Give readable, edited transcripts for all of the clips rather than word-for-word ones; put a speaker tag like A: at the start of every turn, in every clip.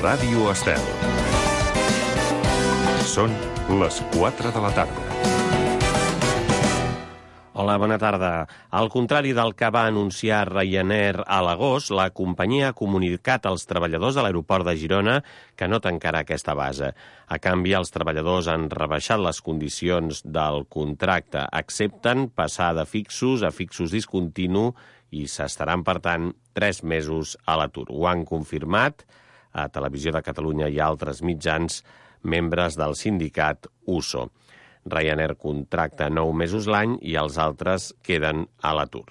A: Ràdio Estel. Són les 4 de la tarda.
B: Hola, bona tarda. Al contrari del que va anunciar Ryanair a l'agost, la companyia ha comunicat als treballadors de l'aeroport de Girona que no tancarà aquesta base. A canvi, els treballadors han rebaixat les condicions del contracte. Accepten passar de fixos a fixos discontinu i s'estaran, per tant, 3 mesos a l'atur. Ho han confirmat a Televisió de Catalunya i altres mitjans membres del sindicat USO. Ryanair contracta 9 mesos l'any i els altres queden a l'atur.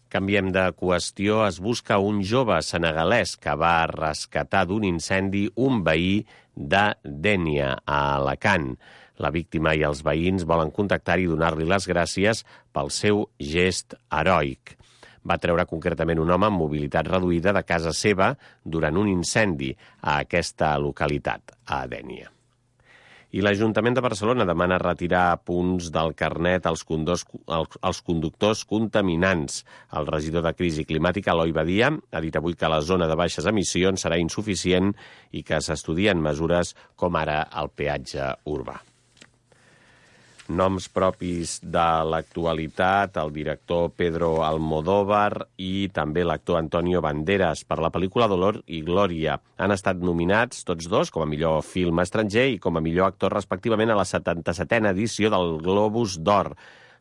B: Canviem de qüestió. Es busca un jove senegalès que va rescatar d'un incendi un veí de Dénia, a Alacant. La víctima i els veïns volen contactar-hi i donar-li les gràcies pel seu gest heroic. Va treure concretament un home amb mobilitat reduïda de casa seva durant un incendi a aquesta localitat, a Dénia. I l'Ajuntament de Barcelona demana retirar punts del carnet als conductors contaminants. El regidor de Crisi Climàtica, Eloi Badia, ha dit avui que la zona de baixes emissions serà insuficient i que s'estudien mesures com ara el peatge urbà. Noms propis de l'actualitat, el director Pedro Almodóvar i també l'actor Antonio Banderas per la pel·lícula Dolor y Gloria. Han estat nominats tots dos com a millor film estranger i com a millor actor respectivament a la 77a edició del Globus d'Or.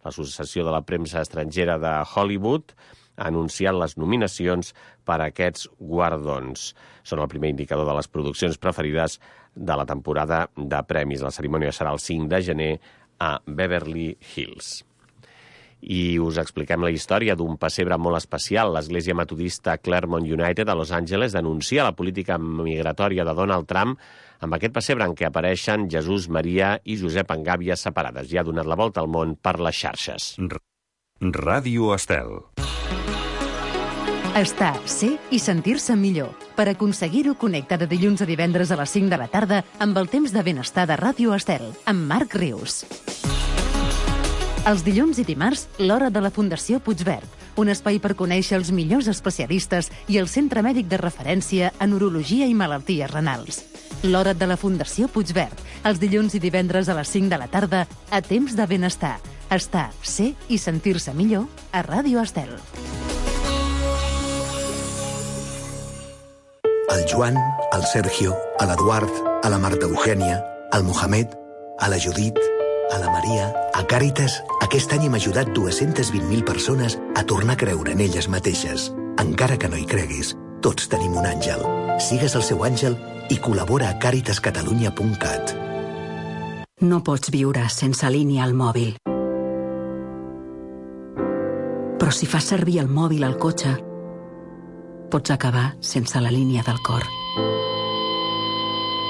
B: L'Associació de la Premsa Estrangera de Hollywood ha anunciat les nominacions per a aquests guardons. Són el primer indicador de les produccions preferides de la temporada de premis. La cerimònia serà el 5 de gener a Beverly Hills. I us expliquem la història d'un pessebre molt especial. L'Església Metodista Claremont United a Los Angeles denuncia la política migratòria de Donald Trump amb aquest pessebre en què apareixen Jesús, Maria i Josep en gàbies separades. I ha donat la volta al món per les xarxes.
A: Ràdio Estel.
C: Estar, ser i sentir-se millor. Per aconseguir-ho, connecta de dilluns a divendres a les 5 de la tarda amb el temps de benestar de Ràdio Estel, amb Marc Rius. Els dilluns i dimarts, l'Hora de la Fundació Puigverd, un espai per conèixer els millors especialistes i el centre mèdic de referència en urologia i malalties renals. L'Hora de la Fundació Puigverd, els dilluns i divendres a les 5 de la tarda, a temps de benestar. Estar, ser i sentir-se millor a Ràdio Estel.
D: Al Joan, al Sergio, a l'Eduard, a la Marta Eugènia, al Mohamed, a la Judit, a la Maria... A Càritas, aquest any hem ajudat 220.000 persones a tornar a creure en elles mateixes. Encara que no hi creguis, tots tenim un àngel. Sigues el seu àngel i col·labora a caritascatalunya.cat.
E: No pots viure sense línia al mòbil. Però si fas servir el mòbil al cotxe, pots acabar sense la línia del cor.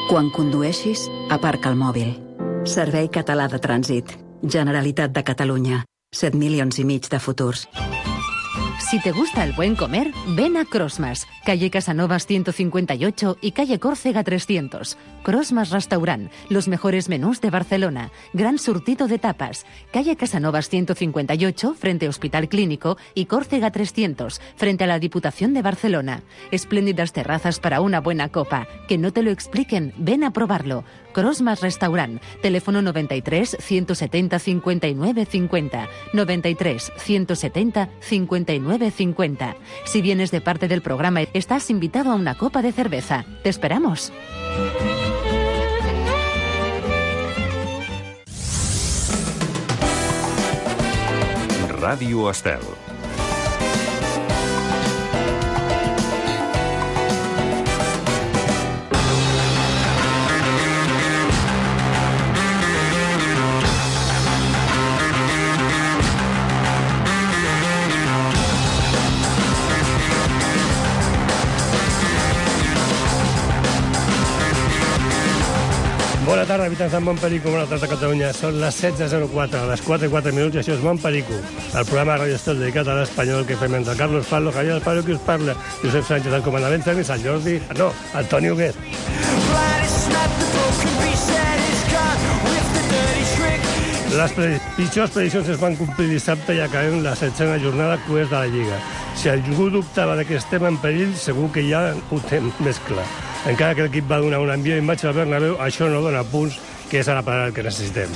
E: Quan condueixis, aparca el mòbil. Servei Català de Trànsit. Generalitat de Catalunya. 7,5 milions de futurs.
C: Si te gusta el buen comer, ven a Crosmas, calle Casanovas 158 y calle Córcega 300. Crosmas Restaurant, los mejores menús de Barcelona. Gran surtido de tapas. Calle Casanovas 158, frente Hospital Clínico, y Córcega 300, frente a la Diputación de Barcelona. Espléndidas terrazas para una buena copa. Que no te lo expliquen, ven a probarlo. Crosmas Restaurant, teléfono 93 170 59 50, 93 170 59 50. Si vienes de parte del programa, estás invitado a una copa de cerveza. ¡Te esperamos!
A: Ràdio Estel.
F: Bona tarda, habitants de Montperico, bona tarda a Catalunya. Són les 16:04, a les 4:04 i això és Montperico, el programa de Ràdio Estel dedicat a l'espanyol que fem entre Carlos Palo, Javier del Palo, que us parla, Josep Sánchez, el comandament Fermi, Sant Jordi... No, Antoni Huguet. Les pitjors prediccions es van complir dissabte i acabem la 7a jornada crues de la Lliga. Si algú dubtava que estem en perill, segur que ja ho té més clar. Encara que l'equip va donar un envió imatge al Bernabéu, això no dona punts, que és ara per ara el que necessitem.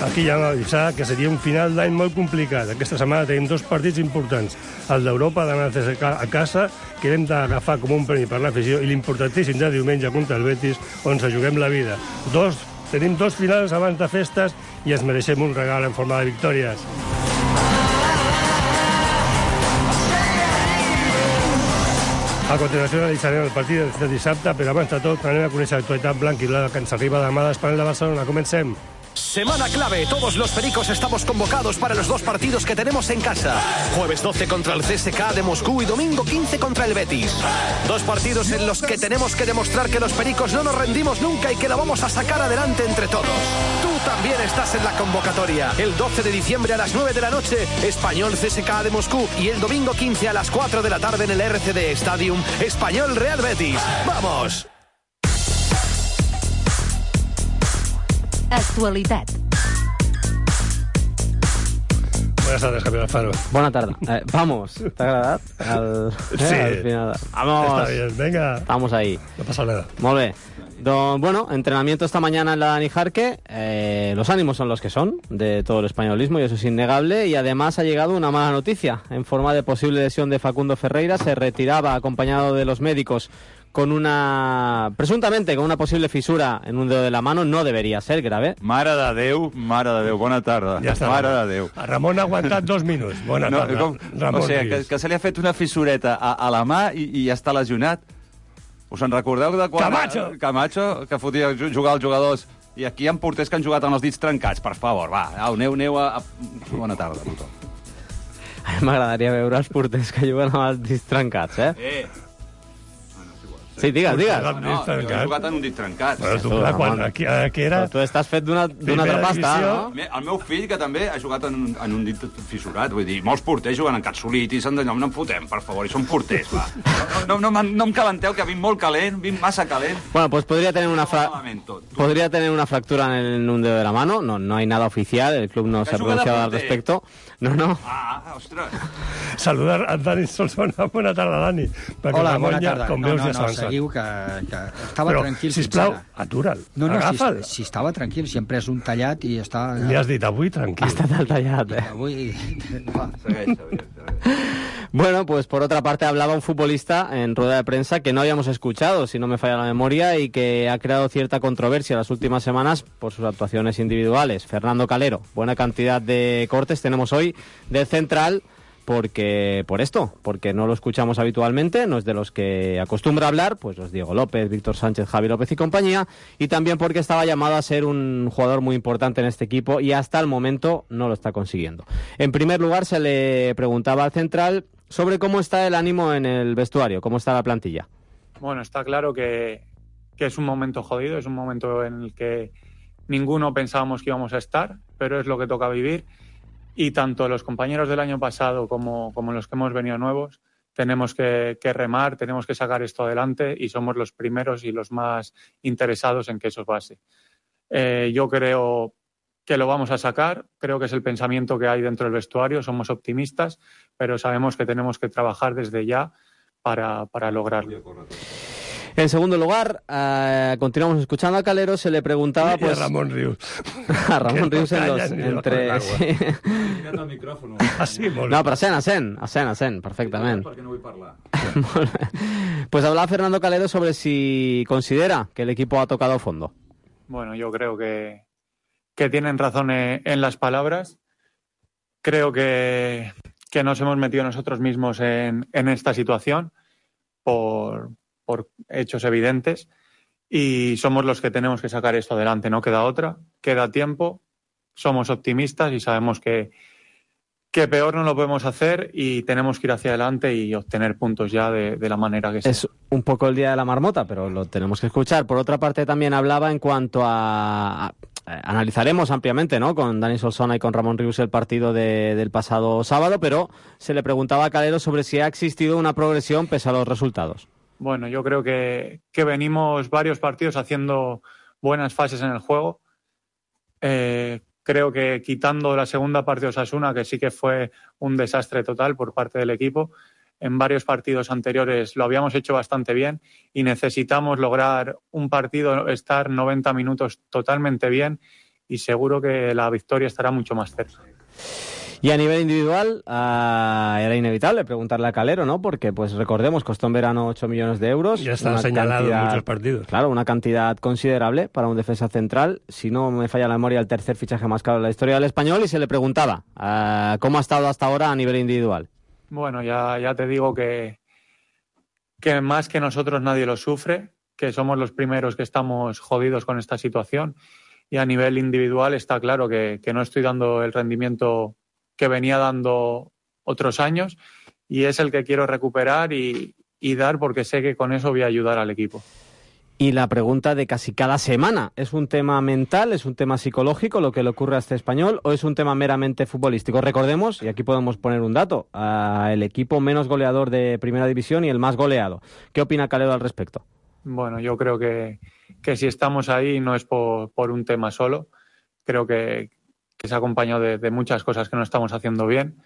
F: Aquí ja hem avisat que seria un final d'any molt complicat. Aquesta setmana tenim 2 partits importants. El d'Europa, demà el CSKA a casa, que hem d'agafar com un premi per l'afició, i l'importantíssim de diumenge contra el Betis, on se juguem la vida. Tenim 2 finals abans de festes i ens mereixem un regal en forma de victòries. A continuació analitzarem el partit de dissabte, però abans de tot anem a conèixer l'actualitat blanc-i-blava que ens arriba demà de l'Espanyol de Barcelona. Comencem.
G: Semana clave, todos los pericos estamos convocados para los 2 partidos que tenemos en casa. Jueves 12 contra el CSKA de Moscú y domingo 15 contra el Betis. 2 partidos en los que tenemos que demostrar que los pericos no nos rendimos nunca y que lo vamos a sacar adelante entre todos. Tú también estás en la convocatoria. El 12 de diciembre a las 9 de la noche, Español CSKA de Moscú, y el domingo 15 a las 4 de la tarde en el RCD Stadium, Español Real Betis. ¡Vamos!
C: Actualitat.
F: Buenas tardes, Javier Alfaro.
H: Bona tarda. Vamos, ¿te ha agradado?
F: Sí.
H: Al final. Vamos.
F: Está bien, venga.
H: Estamos ahí.
F: No pasa nada.
H: Molt bé. Bueno, entrenamiento esta mañana en la Dani Jarque. Los ánimos son los que son de todo el españolismo y eso es innegable. Y además ha llegado una mala noticia en forma de posible lesión de Facundo Ferreira. Se retiraba acompañado de los médicos presuntamente con una posible fisura en un dedo de la mano. No debería ser grave.
I: Mare de Déu, bona tarda.
F: Ja està.
I: Mare de Déu.
F: Ramon ha aguantat 2 minuts. Bona tarda. Ramon
I: o sigui, que se li ha fet una fissureta a la mà i ja està lesionat. Us en recordeu de quan... Camacho, que fotia jugar als jugadors. I aquí hi ha porters que han jugat amb els dits trencats. Per favor, va, aneu a... Bona tarda a tothom.
H: A mi m'agradaria veure els porters que juguen amb els dits trencats, Sí, digues.
I: No, jo he jugat en un dit trencat.
F: Però tu, aquí era...
H: Tu estàs fet d'una altra pasta, no?
I: El meu fill, que també ha jugat en un dit fissurat, vull dir, molts porters juguen en catsolitis, no en fotem, per favor, i són porters, va. No em calenteu, que vinc molt calent, vinc massa calent.
H: Bueno, pues podría tener una fractura en un dedo de la mano, no hay nada oficial, el club no se ha pronunciado al respecto. No.
I: Ah, ostres.
F: Saludar a Dani Solsona. Bona tarda, Dani.
J: Hola, bona tarda.
F: Com veus, ja s'ha avançat.
J: Seguiu que estava tranquil.
F: Però, sisplau, atura'l. Agafa'l.
J: Si estava tranquil, si hem pres un tallat i està...
F: Li has dit avui tranquil.
H: Ha estat el tallat,
J: Avui...
H: Bueno, pues por otra parte hablaba un futbolista en rueda de prensa que no habíamos escuchado, si no me falla la memoria, y que ha creado cierta controversia las últimas semanas por sus actuaciones individuales. Fernando Calero. Buena cantidad de cortes tenemos hoy del central porque no lo escuchamos habitualmente, no es de los que acostumbra hablar, pues los Diego López, Víctor Sánchez, Javi López y compañía, y también porque estaba llamado a ser un jugador muy importante en este equipo y hasta el momento no lo está consiguiendo. En primer lugar, se le preguntaba al central sobre cómo está el ánimo en el vestuario, cómo está la plantilla.
K: Bueno, está claro que es un momento jodido, es un momento en el que ninguno pensábamos que íbamos a estar, pero es lo que toca vivir. Y tanto los compañeros del año pasado como los que hemos venido nuevos tenemos que remar, tenemos que sacar esto adelante y somos los primeros y los más interesados en que eso pase. Yo creo que lo vamos a sacar, creo que es el pensamiento que hay dentro del vestuario, somos optimistas, pero sabemos que tenemos que trabajar desde ya para lograrlo.
H: En segundo lugar, continuamos escuchando a Calero, se le preguntaba...
F: Y a Ramon Rius.
H: A Ramon Rius entre...
I: Sí. El micrófono.
H: No, però sent, perfectament.
I: Perquè no vull parlar.
H: Pues hablaba Fernando Calero sobre si considera que el equipo ha tocado fondo.
K: Bueno, yo creo que tienen razón en las palabras. Creo que nos hemos metido nosotros mismos en esta situación por hechos evidentes y somos los que tenemos que sacar esto adelante, no queda otra, queda tiempo, somos optimistas y sabemos que peor no lo podemos hacer y tenemos que ir hacia adelante y obtener puntos ya de la manera que sea.
H: Es un poco el día de la marmota, pero lo tenemos que escuchar. Por otra parte, también hablaba en cuanto a analizaremos ampliamente, ¿no?, con Dani Solsona y con Ramon Rius el partido del pasado sábado, pero se le preguntaba a Calero sobre si ha existido una progresión pese a los resultados.
K: Bueno, yo creo que venimos varios partidos haciendo buenas fases en el juego. Creo que quitando la segunda parte de Osasuna, que sí que fue un desastre total por parte del equipo, en varios partidos anteriores lo habíamos hecho bastante bien y necesitamos lograr un partido, estar 90 minutos totalmente bien y seguro que la victoria estará mucho más cerca.
H: Y a nivel individual, era inevitable preguntarle a Calero, ¿no? Porque, pues recordemos, costó en verano 8 millones de euros.
F: Ya está señalado en muchos partidos.
H: Claro, una cantidad considerable para un defensa central. Si no me falla la memoria, el tercer fichaje más caro de la historia del Español. Y se le preguntaba, ¿cómo ha estado hasta ahora a nivel individual?
K: Bueno, ya te digo que más que nosotros nadie lo sufre, que somos los primeros que estamos jodidos con esta situación. Y a nivel individual está claro que no estoy dando el rendimiento que venía dando otros años y es el que quiero recuperar y dar porque sé que con eso voy a ayudar al equipo.
H: Y la pregunta de casi cada semana, ¿es un tema mental, es un tema psicológico lo que le ocurre a este Español o es un tema meramente futbolístico? Recordemos, y aquí podemos poner un dato, el equipo menos goleador de Primera División y el más goleado. ¿Qué opina Calero al respecto?
K: Bueno, yo creo que si estamos ahí no es por un tema solo, creo que se ha acompañado de muchas cosas que no estamos haciendo bien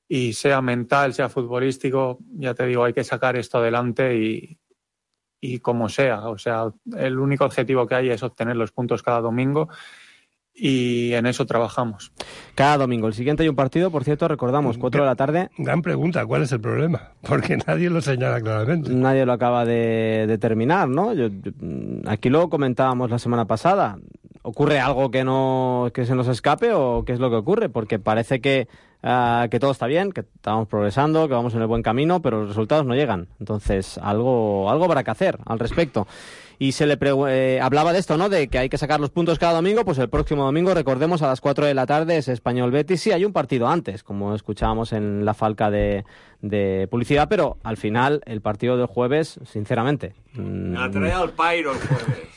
K: y sea mental, sea futbolístico, ya te digo, hay que sacar esto adelante y como sea, o sea, el único objetivo que hay es obtener los puntos cada domingo y en eso trabajamos.
H: Cada domingo. El siguiente hay un partido, por cierto, recordamos, 4 de la tarde.
F: Gran pregunta, ¿cuál es el problema? Porque nadie lo señala claramente.
H: Nadie lo acaba de determinar, ¿no? Aquí lo comentábamos la semana pasada. ¿Ocurre algo que se nos escape o qué es lo que ocurre? Porque parece que todo está bien, que estamos progresando, que vamos en el buen camino, pero los resultados no llegan. Entonces, algo habrá que hacer al respecto. Y se le hablaba de esto, ¿no? De que hay que sacar los puntos cada domingo. Pues el próximo domingo, recordemos, a las 4 de la tarde es Español-Betis. Sí, hay un partido antes, como escuchábamos en la falca de publicidad, pero al final el partido del jueves, sinceramente...
L: Me trae al Pairo el jueves.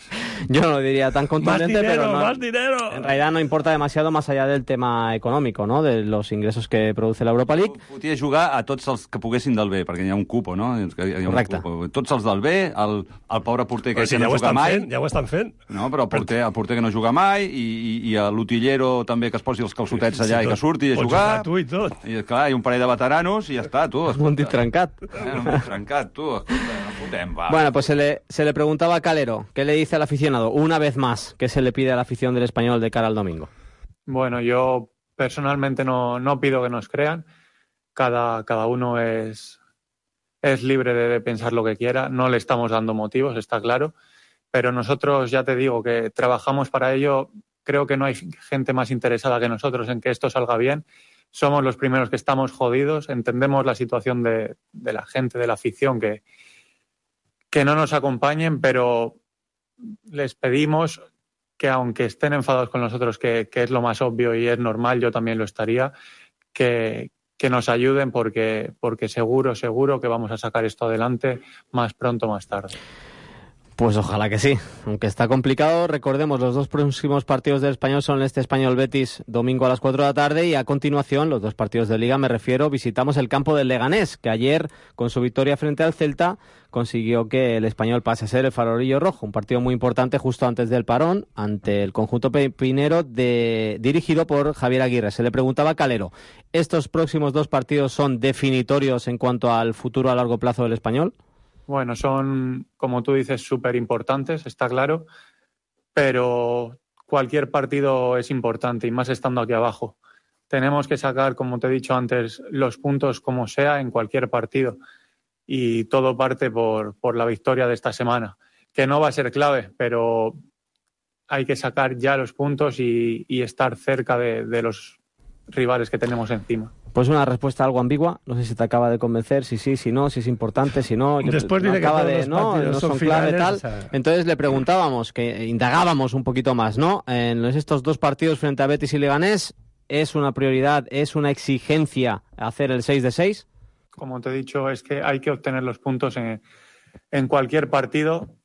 H: Yo no lo diría tan contundente, pero no,
F: ¡Más dinero!
H: En realidad no importa demasiado más allá del tema económico, ¿no? De los ingressos que produce la Europa League.
I: Podia jugar a tots els que poguessin del B, perquè hi ha un cupo, no?
H: Correcte.
I: Tots els del B, el pobre porter que no juga mai.
F: Ja ho estan fent.
I: No, però el porter que no juga mai i l'utillero també que es posi els calçotets allà i que surti a jugar.
F: Tu i tot.
I: I clar, hi ha un parell de veteranos i ja està, tu.
H: Un dit trencat.
I: Un dit trencat, tu. Escolta, no fotem, va.
H: Bueno, pues se le preguntaba a Calero, ¿qué le dice al aficionado? Una vez más, ¿qué se le pide a la afición del Español de cara al domingo?
K: Bueno, yo personalmente no pido que nos crean. Cada uno es libre de pensar lo que quiera. No le estamos dando motivos, está claro. Pero nosotros, ya te digo, que trabajamos para ello. Creo que no hay gente más interesada que nosotros en que esto salga bien. Somos los primeros que estamos jodidos. Entendemos la situación de la gente, de la afición, que no nos acompañen, pero les pedimos que aunque estén enfadados con nosotros, que es lo más obvio y es normal, yo también lo estaría, que nos ayuden porque seguro que vamos a sacar esto adelante más pronto o más tarde.
H: Pues ojalá que sí, aunque está complicado. Recordemos, los dos próximos partidos del Español son este Español-Betis domingo a las 4 de la tarde y a continuación, los dos partidos de Liga, me refiero, visitamos el campo del Leganés, que ayer, con su victoria frente al Celta, consiguió que el Español pase a ser el farolillo rojo. Un partido muy importante justo antes del parón, ante el conjunto pepinero dirigido por Javier Aguirre. Se le preguntaba a Calero, ¿estos próximos dos partidos son definitorios en cuanto al futuro a largo plazo del Español?
K: Bueno, son, como tú dices, súper importantes, está claro, pero cualquier partido es importante y más estando aquí abajo. Tenemos que sacar, como te he dicho antes, los puntos como sea en cualquier partido y todo parte por la victoria de esta semana, que no va a ser clave, pero hay que sacar ya los puntos y estar cerca de los rivales que tenemos encima.
H: Pues una respuesta algo ambigua, no sé si te acaba de convencer, si sí, si no, si es importante, si no.
F: Después dice que todos los partidos
H: son
F: finales,
H: clave, tal.
F: O sea...
H: Entonces le preguntábamos, que indagábamos un poquito más, ¿no? En estos dos partidos frente a Betis y Leganés, ¿es una prioridad, es una exigencia hacer el 6 de 6?
K: Como te he dicho, es que hay que obtener los puntos en cualquier partido.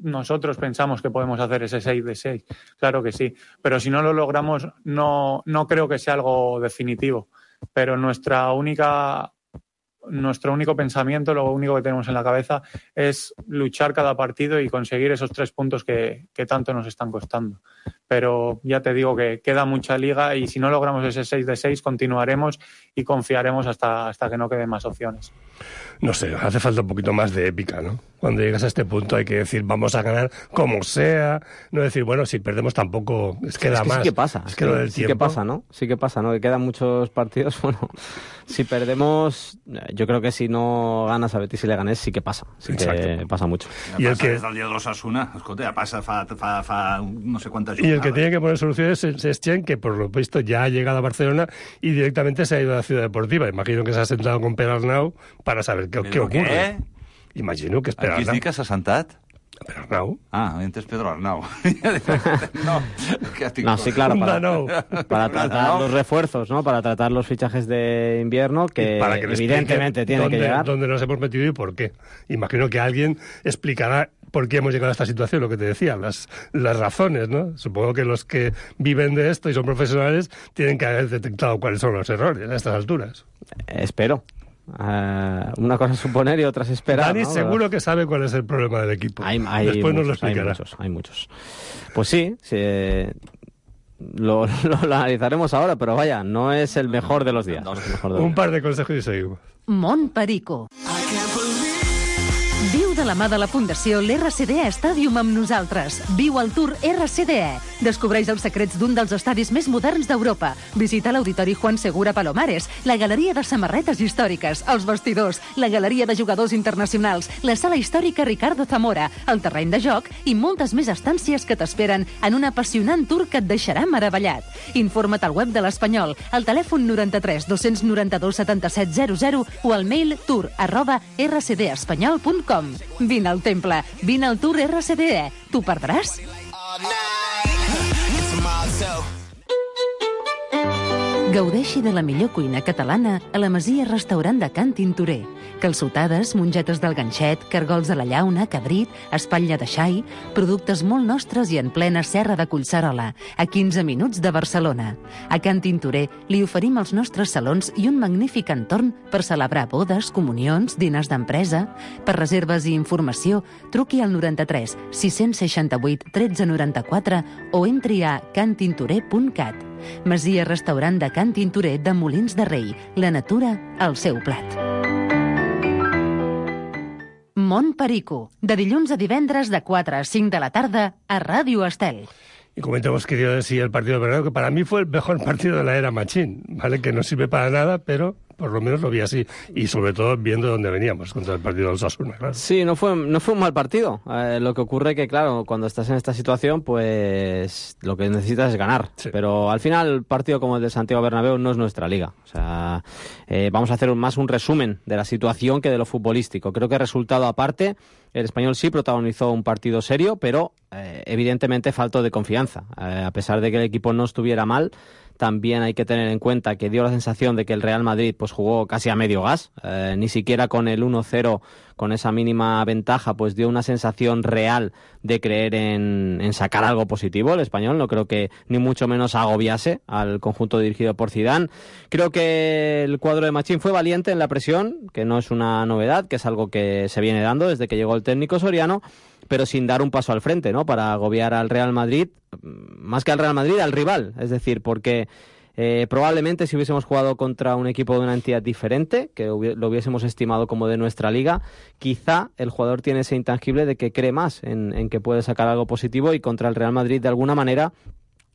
K: Nosotros pensamos que podemos hacer ese 6 de 6, claro que sí, pero si no lo logramos no creo que sea algo definitivo, pero nuestro único pensamiento, lo único que tenemos en la cabeza es luchar cada partido y conseguir esos 3 puntos que tanto nos están costando. pero ya te digo que queda mucha liga y si no logramos ese 6 de 6 continuaremos y confiaremos hasta que no queden más opciones.
F: No sé, hace falta un poquito más de épica, ¿no? Cuando llegas a este punto hay que decir, vamos a ganar como sea, no decir, bueno, si perdemos tampoco, queda más.
H: Sí que pasa,
F: es que lo del
H: sí que pasa, ¿no? Sí que pasa, ¿no? Que quedan muchos partidos, bueno, si perdemos, yo creo que si no ganas a Betis y Leganés sí que pasa, sí. Exacto. Que pasa mucho.
I: I el que... des del dia de l'Osasuna, escolta, ja passa fa no sé cuántas jornadas.
F: Y el que tiene que poner soluciones es Chen, que por lo visto ya ha llegado a Barcelona y directamente se ha ido a la Ciudad Deportiva. Imagino que se ha sentado con Perarnau para saber qué ocurre.
I: Què?
F: Imagino que és Pedro Arnau.
I: Qui es diu que s'ha sentat?
F: Pedro Arnau.
I: Ah, entes Pedro Arnau.
H: No, sí, claro, para tratar los refuerzos, ¿no? Para tratar los fichajes de invierno que evidentemente tienen que llegar.
F: ¿Dónde nos hemos metido y por qué? Imagino que alguien explicará por qué hemos llegado a esta situación, lo que te decía, las razones, ¿no? Supongo que los que viven de esto y son profesionales tienen que haber detectado cuáles son los errores a estas alturas.
H: Espero. Una cosa es suponer y otra es esperar.
F: Dani,
H: ¿no?
F: seguro que sabe cuál es el problema del equipo. Después nos lo explicará.
H: Hay muchos. Pues sí, lo analizaremos ahora, pero vaya, no es el mejor de los días.
F: Un par de consejos y seguimos.
C: Montperico. Viu de la mà de la Fundació l'RCDE Stadium amb nosaltres. Viu el Tour RCDE. Descobreix els secrets d'un dels estadis més moderns d'Europa. Visita l'Auditori Juan Segura Palomares, la Galeria de Samarretes Històriques, els vestidors, la Galeria de Jugadors Internacionals, la Sala Històrica Ricardo Zamora, el terreny de joc i moltes més estàncies que t'esperen en un apassionant tour que et deixarà meravellat. Informa't al web de l'Espanyol, al telèfon 93 292 77 00 o al mail tour@rcdespanyol.com. Vine al temple, vine al Tour RCDE. T'ho perdràs? Gaudeixi de la millor cuina catalana a la Masia Restaurant de Can Tintorer. Calçotades, mongetes del ganxet, cargols a la llauna, cabrit, espatlla de xai, productes molt nostres i en plena serra de Collserola, a 15 minuts de Barcelona. A Can Tintorer li oferim els nostres salons i un magnífic entorn per celebrar bodes, comunions, dinars d'empresa. Per reserves i informació, truqui al 93 668 1394 o entri a cantintorer.cat. Masia Restaurant de Can Tintorer de Molins de Rei. La natura al seu plat. Montperico, de dilluns a divendres de 4 a 5 de la tarda a Ràdio Estel.
F: Y comentamos, querido, decir el partido de Bernabéu, que para mí fue el mejor partido de la era Machín, ¿vale? Que no sirve para nada, pero por lo menos lo vi así. Y sobre todo viendo dónde veníamos contra el partido del Osasuna, claro.
H: Sí, no fue un mal partido. Lo que ocurre que, claro, cuando estás en esta situación, pues lo que necesitas es ganar. Sí. Pero al final, el partido como el de Santiago Bernabéu no es nuestra liga. O sea, vamos a hacer más un resumen de la situación que de lo futbolístico. Creo que resultado aparte, el Español sí protagonizó un partido serio, pero evidentemente faltó de confianza. A pesar de que el equipo no estuviera mal, también hay que tener en cuenta que dio la sensación de que el Real Madrid pues jugó casi a medio gas, ni siquiera con el 1-0, con esa mínima ventaja, pues dio una sensación real de creer en sacar algo positivo. El Español no creo que ni mucho menos agobiase al conjunto dirigido por Zidane. Creo que el cuadro de Machín fue valiente en la presión, que no es una novedad, que es algo que se viene dando desde que llegó el técnico Soriano, pero sin dar un paso al frente, ¿no? Para agobiar al Real Madrid, más que al Real Madrid, al rival. Es decir, porque probablemente si hubiésemos jugado contra un equipo de una entidad diferente, que lo hubiésemos estimado como de nuestra liga, quizá el jugador tiene ese intangible de que cree más en que puede sacar algo positivo, y contra el Real Madrid de alguna manera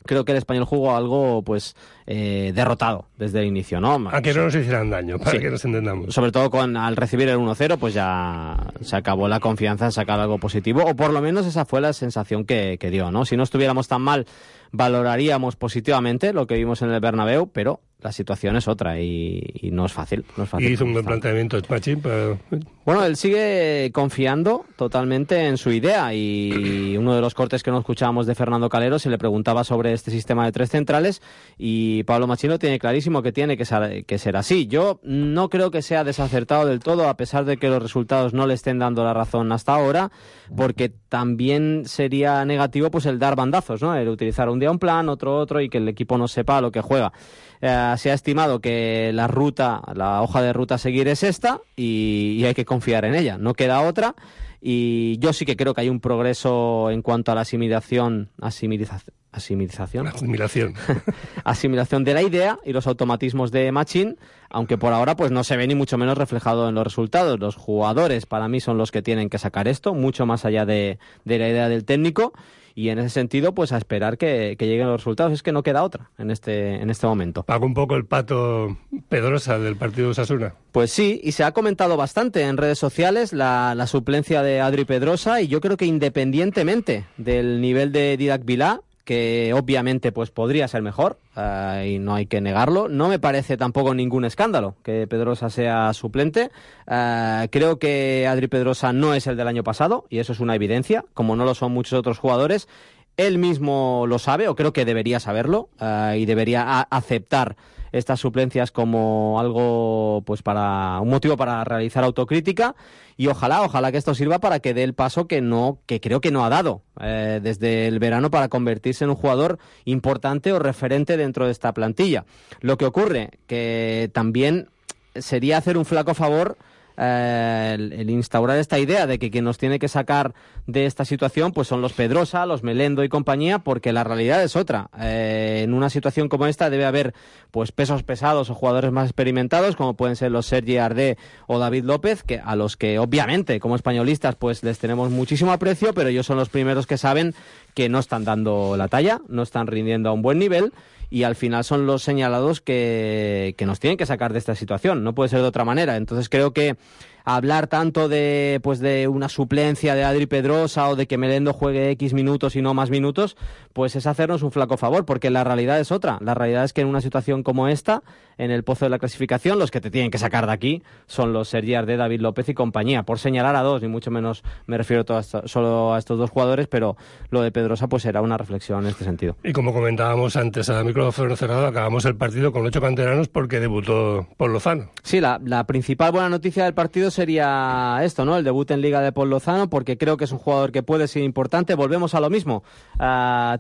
H: creo que el Español jugó algo pues derrotado desde el inicio, ¿no?
F: A que no nos hicieran daño, para que nos entendamos.
H: Sobre todo al recibir el 1-0, pues ya se acabó la confianza en sacar algo positivo, o por lo menos esa fue la sensación que dio, ¿no? Si no estuviéramos tan mal, valoraríamos positivamente lo que vimos en el Bernabéu, pero la situación es otra y no es fácil.
F: Y hizo un buen planteamiento Machín, pero...
H: Bueno, él sigue confiando totalmente en su idea, y uno de los cortes que no escuchábamos de Fernando Calero se le preguntaba sobre este sistema de 3 centrales, y Pablo Machín lo tiene clarísimo que tiene que ser así. Yo no creo que sea desacertado del todo, a pesar de que los resultados no le estén dando la razón hasta ahora, porque también sería negativo pues el dar bandazos, ¿no? El utilizar un día un plan, otro, y que el equipo no sepa lo que juega. Se ha estimado que la hoja de ruta a seguir es esta, y hay que confiar en ella, no queda otra. y yo sí que creo que hay un progreso en cuanto a la asimilación de la idea y los automatismos de Machín, aunque por ahora pues no se ve ni mucho menos reflejado en los resultados. Los jugadores para mí son los que tienen que sacar esto, mucho más allá de la idea del técnico, y en ese sentido pues a esperar que lleguen los resultados. Es que no queda otra en este momento.
F: ¿Paga un poco el pato Pedrosa del partido de Osasuna?
H: Pues sí, y se ha comentado bastante en redes sociales la suplencia de Adri Pedrosa, y yo creo que independientemente del nivel de Didac Vilá, que obviamente pues podría ser mejor, y no hay que negarlo, no me parece tampoco ningún escándalo que Pedrosa sea suplente. Creo que Adri Pedrosa no es el del año pasado, y eso es una evidencia, como no lo son muchos otros jugadores. Él mismo lo sabe, o creo que debería saberlo, y debería aceptar estas suplencias como algo, pues para un motivo para realizar autocrítica, y ojalá que esto sirva para que dé el paso que creo que no ha dado desde el verano, para convertirse en un jugador importante o referente dentro de esta plantilla. Lo que ocurre que también sería hacer un flaco favor el instaurar esta idea de que quien nos tiene que sacar de esta situación pues son los Pedrosa, los Melendo y compañía, porque la realidad es otra. En una situación como esta debe haber pues pesos pesados o jugadores más experimentados, como pueden ser los Sergi Ardé o David López, que a los que obviamente como españolistas pues les tenemos muchísimo aprecio, pero ellos son los primeros que saben que no están dando la talla, no están rindiendo a un buen nivel, y al final son los señalados que nos tienen que sacar de esta situación. No puede ser de otra manera. Entonces creo que hablar tanto de una suplencia de Adri Pedrosa o de que Melendo juegue X minutos y no más minutos, pues es hacernos un flaco favor, porque la realidad es otra. La realidad es que en una situación como esta, en el pozo de la clasificación, los que te tienen que sacar de aquí son los Sergi Ardé, David López y compañía, por señalar a dos, ni mucho menos me refiero solo a estos dos jugadores, pero lo de Pedrosa pues era una reflexión en este sentido.
F: Y como comentábamos antes a micrófono cerrado, acabamos el partido con 8 canteranos porque debutó Pol Lozano.
H: Sí, la principal buena noticia del partido sería esto, ¿no? El debut en Liga de Pol Lozano, porque creo que es un jugador que puede ser importante. Volvemos a lo mismo.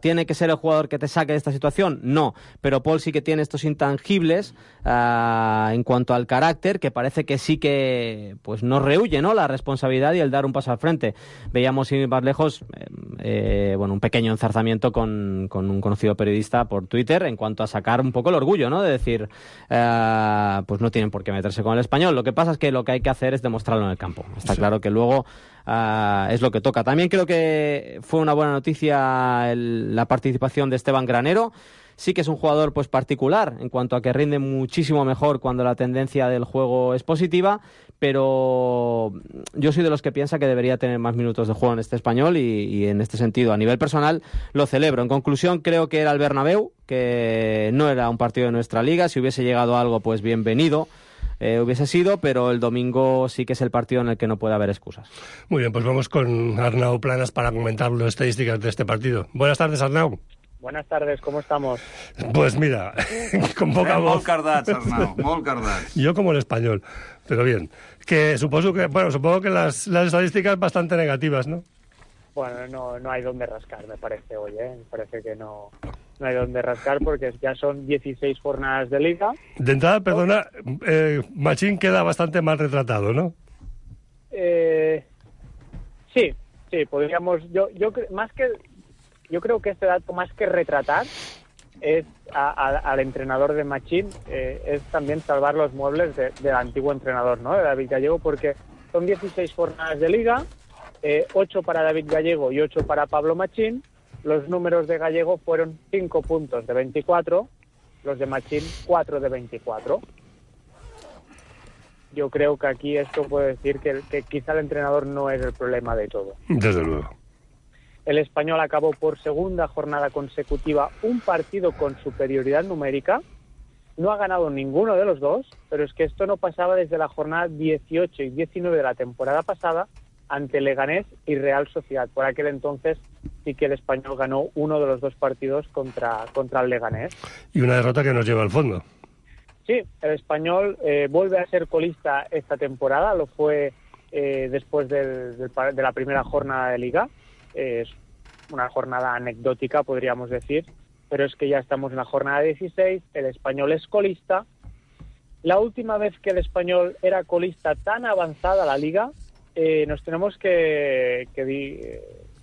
H: ¿Tiene que ser el jugador que te saque de esta situación? No, pero Pol sí que tiene estos intangibles en cuanto al carácter, que parece que sí que pues nos rehúye, ¿no?, la responsabilidad y el dar un paso al frente. Veíamos sin ir más lejos un pequeño enzarzamiento con un conocido periodista por Twitter en cuanto a sacar un poco el orgullo, ¿no?, de decir pues no tienen por qué meterse con el Español. Lo que pasa es que lo que hay que hacer es demostrarlo en el campo. Está claro que luego es lo que toca. También creo que fue una buena noticia la participación de Esteban Granero. Sí que es un jugador pues particular en cuanto a que rinde muchísimo mejor cuando la tendencia del juego es positiva, pero yo soy de los que piensa que debería tener más minutos de juego en este Español, y en este sentido, a nivel personal, lo celebro. En conclusión, creo que era el Bernabéu, que no era un partido de nuestra liga. Si hubiese llegado a algo, pues bienvenido hubiese sido, pero el domingo sí que es el partido en el que no puede haber excusas.
F: Muy bien, pues vamos con Arnau Planas para comentar las estadísticas de este partido. Buenas tardes, Arnau.
M: Buenas tardes, ¿cómo estamos?
F: Pues mira, con poca voz.
I: Molt cardats, Arnau, molt cardats.
F: Yo como el español, pero bien. Supongo que las estadísticas bastante negativas, ¿no?
M: Bueno, no hay donde rascar, me parece hoy, ¿eh? Me parece que no hay donde rascar, porque ya son 16 jornadas de liga.
F: De entrada, perdona, Machín queda bastante mal retratado, ¿no?
M: Sí, podríamos... Yo creo que este dato, más que retratar, es al entrenador de Machín, es también salvar los muebles del antiguo entrenador, ¿no?, de David Gallego, porque son 16 jornadas de liga, 8 para David Gallego y 8 para Pablo Machín. Los números de Gallego fueron 5 puntos de 24, los de Machín 4 de 24. Yo creo que aquí esto puede decir que quizá el entrenador no es el problema de todo.
F: Desde luego.
M: El Español acabó por segunda jornada consecutiva un partido con superioridad numérica. No ha ganado ninguno de los dos, pero es que esto no pasaba desde la jornada 18 y 19 de la temporada pasada ante Leganés y Real Sociedad. Por aquel entonces sí que el Español ganó uno de los dos partidos contra el Leganés.
F: Y una derrota que nos lleva al fondo.
M: Sí, el Español vuelve a ser colista esta temporada. Lo fue después de la primera jornada de Liga. Es una jornada anecdótica, podríamos decir, pero es que ya estamos en la jornada 16, el Español es colista. La última vez que el Español era colista tan avanzada la Liga nos tenemos que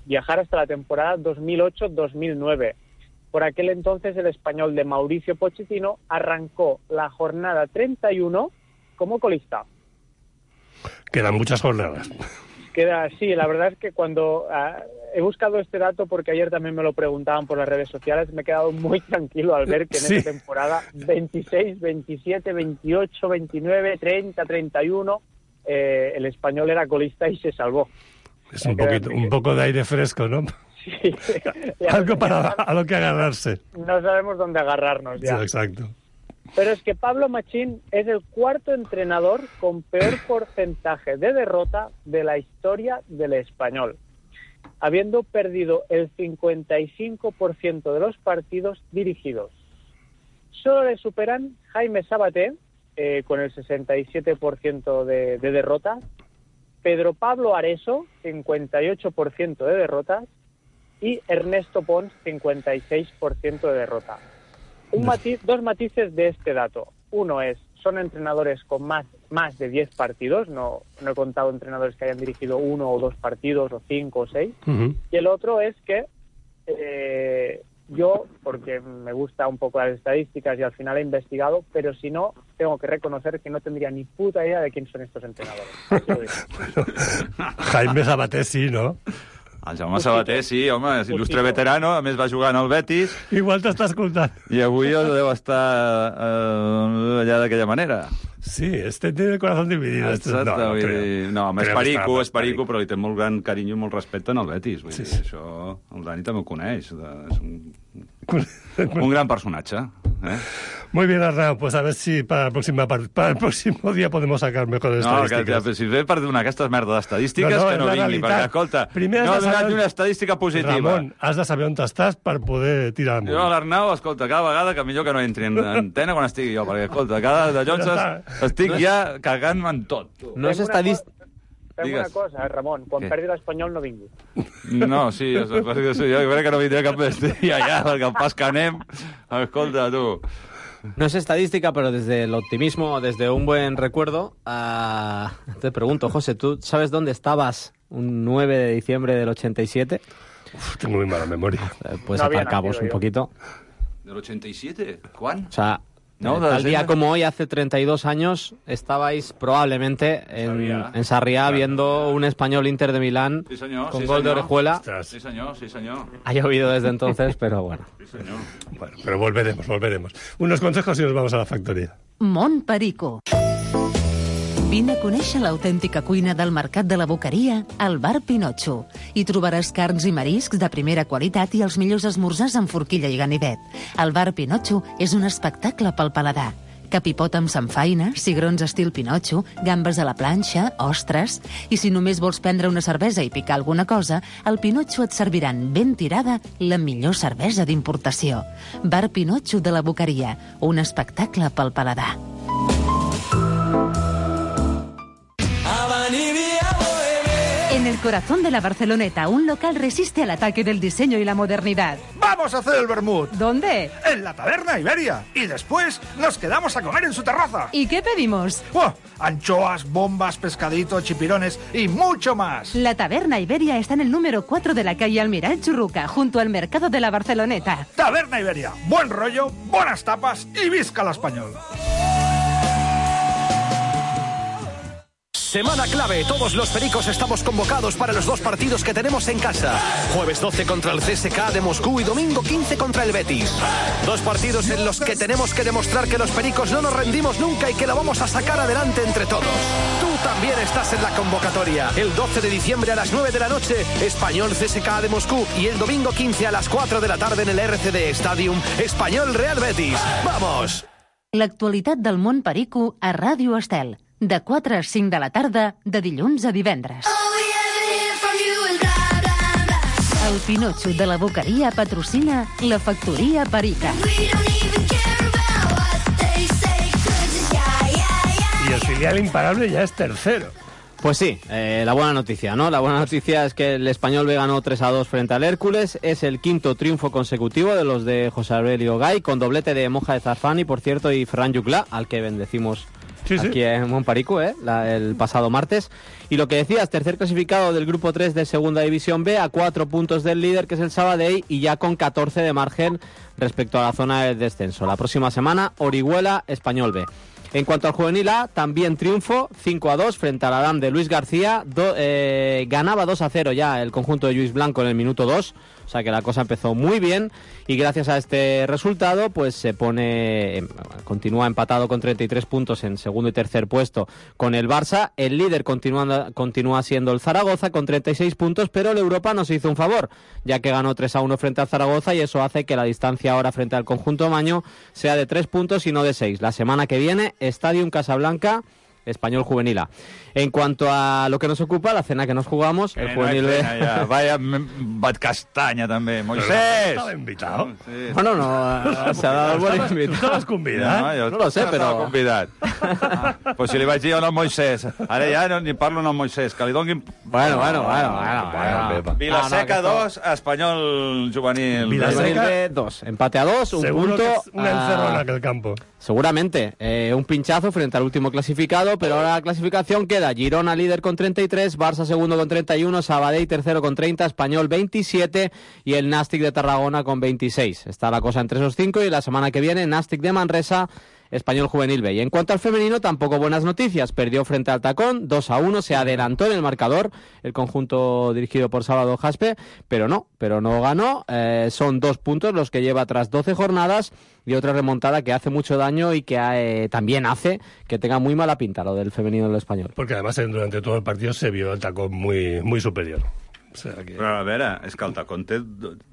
M: viajar hasta la temporada 2008-2009. Por aquel entonces el Español de Mauricio Pochettino arrancó la jornada 31 como colista.
F: Quedan muchas jornadas.
M: Sí, la verdad es que cuando he buscado este dato, porque ayer también me lo preguntaban por las redes sociales, me he quedado muy tranquilo al ver que en esta temporada 26, 27, 28, 29, 30, 31, el Español era colista y se salvó.
F: Es un poco de aire fresco, ¿no?
M: Sí.
F: Algo a lo que agarrarse.
M: No sabemos dónde agarrarnos ya.
F: Sí, exacto.
M: Pero es que Pablo Machín es el cuarto entrenador con peor porcentaje de derrota de la historia del Español, habiendo perdido el 55% de los partidos dirigidos. Solo le superan Jaime Sabaté, con el 67% de derrotas, Pedro Pablo Areso, 58% de derrotas, y Ernesto Pons, 56% de derrota. Dos matices de este dato. Uno es, son entrenadores con más de 10 partidos, no he contado entrenadores que hayan dirigido 1 o 2 partidos, o 5 o 6.
F: Uh-huh.
M: Y el otro es que yo, porque me gusta un poco las estadísticas y al final he investigado, pero si no, tengo que reconocer que no tendría ni puta idea de quién son estos entrenadores.
F: Bueno, Jaime Sabaté sí, no?
I: El Jaume Sabaté, sí, home, és il·lustre veterano, a més va jugar en el Betis.
F: Igual t'està escoltant.
I: I avui deu estar allà d'aquella manera.
F: Sí, tiene el corazón dividido.
I: Exacte, no, és perico, però li té molt gran carinyo i molt respecte en el Betis. Vull dir, això el Dani també ho coneix. És un gran personatge.
F: Muy bien, Arnau, pues a ver si para el próximo día podemos sacar mejores estadísticas.
I: No, si ve per donar aquestes merdes d'estadístiques, que no vingui, perquè, escolta, no ha donat ni una estadística positiva.
F: Ramon, has de saber on estàs per poder tirar amunt.
I: Jo, l'Arnau, escolta, cada vegada que millor que no entri en antena quan estigui jo, perquè, escolta, cada de Jones estic ja cagant-me en tot.
H: No és estadístic...
M: Fem una cosa, Ramon, quan perdi l'Espanyol no vingui.
I: No, sí, jo crec que no vindré cap dia ja, perquè el pas que anem... Escolta, tu...
H: No es estadística, pero desde el optimismo, desde un buen recuerdo, te pregunto, José, ¿tú sabes dónde estabas un 9 de diciembre del 87?
F: Tengo muy mala memoria.
H: Puedes sacar cabos un poquito.
I: ¿Del 87? ¿Cuán?
H: O sea, tal día como hoy, hace 32 años, estabais probablemente en Sarriá viendo un Español Inter de Milán con gol de Orejuela.
I: Sí, señor, sí, señor.
H: Ha llovido desde entonces, pero bueno.
I: Sí, señor.
F: Bueno, pero volveremos. Unos consejos y nos vamos a la factoría.
C: Mont Perico. Vine a conèixer l'autèntica cuina del Mercat de la Boqueria al Bar Pinotxo. Hi trobaràs carns i mariscs de primera qualitat i els millors esmorzars amb forquilla i ganivet. El Bar Pinotxo és un espectacle pel paladar. Capipot amb samfaina, cigrons estil Pinotxo, gambes a la planxa, ostres... I si només vols prendre una cervesa i picar alguna cosa, al Pinotxo et serviran ben tirada la millor cervesa d'importació. Bar Pinotxo de la Boqueria, un espectacle pel paladar. En el corazón de la Barceloneta, un local resiste al ataque del diseño y la modernidad.
N: ¡Vamos a hacer el vermut!
C: ¿Dónde?
N: En la Taberna Iberia. Y después nos quedamos a comer en su terraza.
C: ¿Y qué pedimos?
N: ¡Oh! Anchoas, bombas, pescaditos, chipirones y mucho más.
C: La Taberna Iberia está en el número 4 de la calle Almiral Churruca, junto al mercado de la Barceloneta.
N: Taberna Iberia. Buen rollo, buenas tapas y visca el español.
G: Semana clave, todos los pericos estamos convocados para los 2 partidos que tenemos en casa. Jueves 12 contra el CSKA de Moscú y domingo 15 contra el Betis. 2 partidos en los que tenemos que demostrar que los pericos no nos rendimos nunca y que lo vamos a sacar adelante entre todos. Tú también estás en la convocatoria. El 12 de diciembre a las 9 de la noche, Español CSKA de Moscú, y el domingo 15 a las 4 de la tarde en el RCD Stadium, Español Real Betis. ¡Vamos!
C: L'actualitat del món perico a Ràdio Estel. De 4 a 5 de la tarda, de dilluns a divendres. El Pinotxo de la Boqueria patrocina la Factoria Perica.
F: Y el filial imparable ya es tercero.
H: Pues sí, la buena noticia, ¿no? La buena noticia es que el Español B ganó 3-2 frente al Hércules. Es el 5º triunfo consecutivo de los de José Aurelio Gay, con doblete de Moja de Zarfani, por cierto, y Ferran Juclà, al que bendecimos aquí en Montparico, el pasado martes. Y lo que decías, tercer clasificado del grupo 3 de Segunda División B, a 4 puntos del líder, que es el Sabadell, y ya con 14 de margen respecto a la zona del descenso. La próxima semana, Orihuela, Español B. En cuanto al juvenil A, también triunfo, 5-2 frente al Adam de Luis García. Ganaba 2-0 ya el conjunto de Lluís Blanco en el minuto 2, o sea que la cosa empezó muy bien, y gracias a este resultado pues se continúa empatado con 33 puntos en segundo y tercer puesto con el Barça. El líder continúa siendo el Zaragoza con 36 puntos, pero el Europa nos hizo un favor, ya que ganó 3-1 frente al Zaragoza, y eso hace que la distancia ahora frente al conjunto maño sea de 3 puntos y no de 6. La semana que viene, Stadium Casablanca, Español Juvenil A. En cuanto a lo que nos ocupa, la cena que nos jugamos, el Juvenil B...
I: Ja. Vaya bat castanya, també. Moisés!
F: Estaba invitado.
I: Sí.
H: Bueno, no, se ha dado el buen invitado.
F: ¿Tú estabas convidat?
H: No lo sé, però...
I: Estava convidat. Pues si li vaig dir al Moisés, ara ja no ni parlo al Moisés, que li donguin...
H: Bueno.
I: Vilaseca 2, Espanyol Juvenil.
H: Vilaseca 2, empate a 2, un
F: Seguro
H: punto...
F: que es una encerrona aquel campo.
H: Seguramente, un pinchazo frente al último clasificado, pero ahora la clasificación queda Girona líder con 33, Barça segundo con 31, Sabadell tercero con 30, Español 27 y el Nàstic de Tarragona con 26. Está la cosa entre esos 5 y la semana que viene Nàstic de Manresa, Español Juvenil B. Y en cuanto al femenino, tampoco buenas noticias. Perdió frente al Tacón, 2-1, se adelantó en el marcador el conjunto dirigido por Sábado Jaspe, pero no ganó. Son 2 puntos los que lleva tras 12 jornadas y otra remontada que hace mucho daño y que también hace que tenga muy mala pinta lo del femenino del Español.
F: Porque además durante todo el partido se vio el Tacón muy, muy superior. O sea que...
I: Però a veure, és que el Tacón té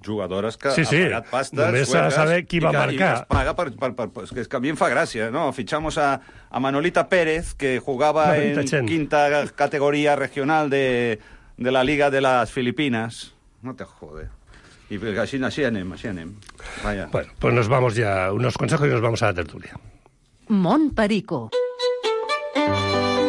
I: jugadores que
F: sí,
I: ha pagat pastes,
F: només s'ha de saber qui va marcar.
I: I es paga és que a mi em fa gràcia, ¿no? Fichamos a Manolita Pérez, que jugaba en quinta categoría regional de la Liga de las Filipinas. No te jode. Y así anem. Vaya.
F: Bueno, pues nos vamos ya, unos consejos y nos vamos a la tertulia.
C: Montparico.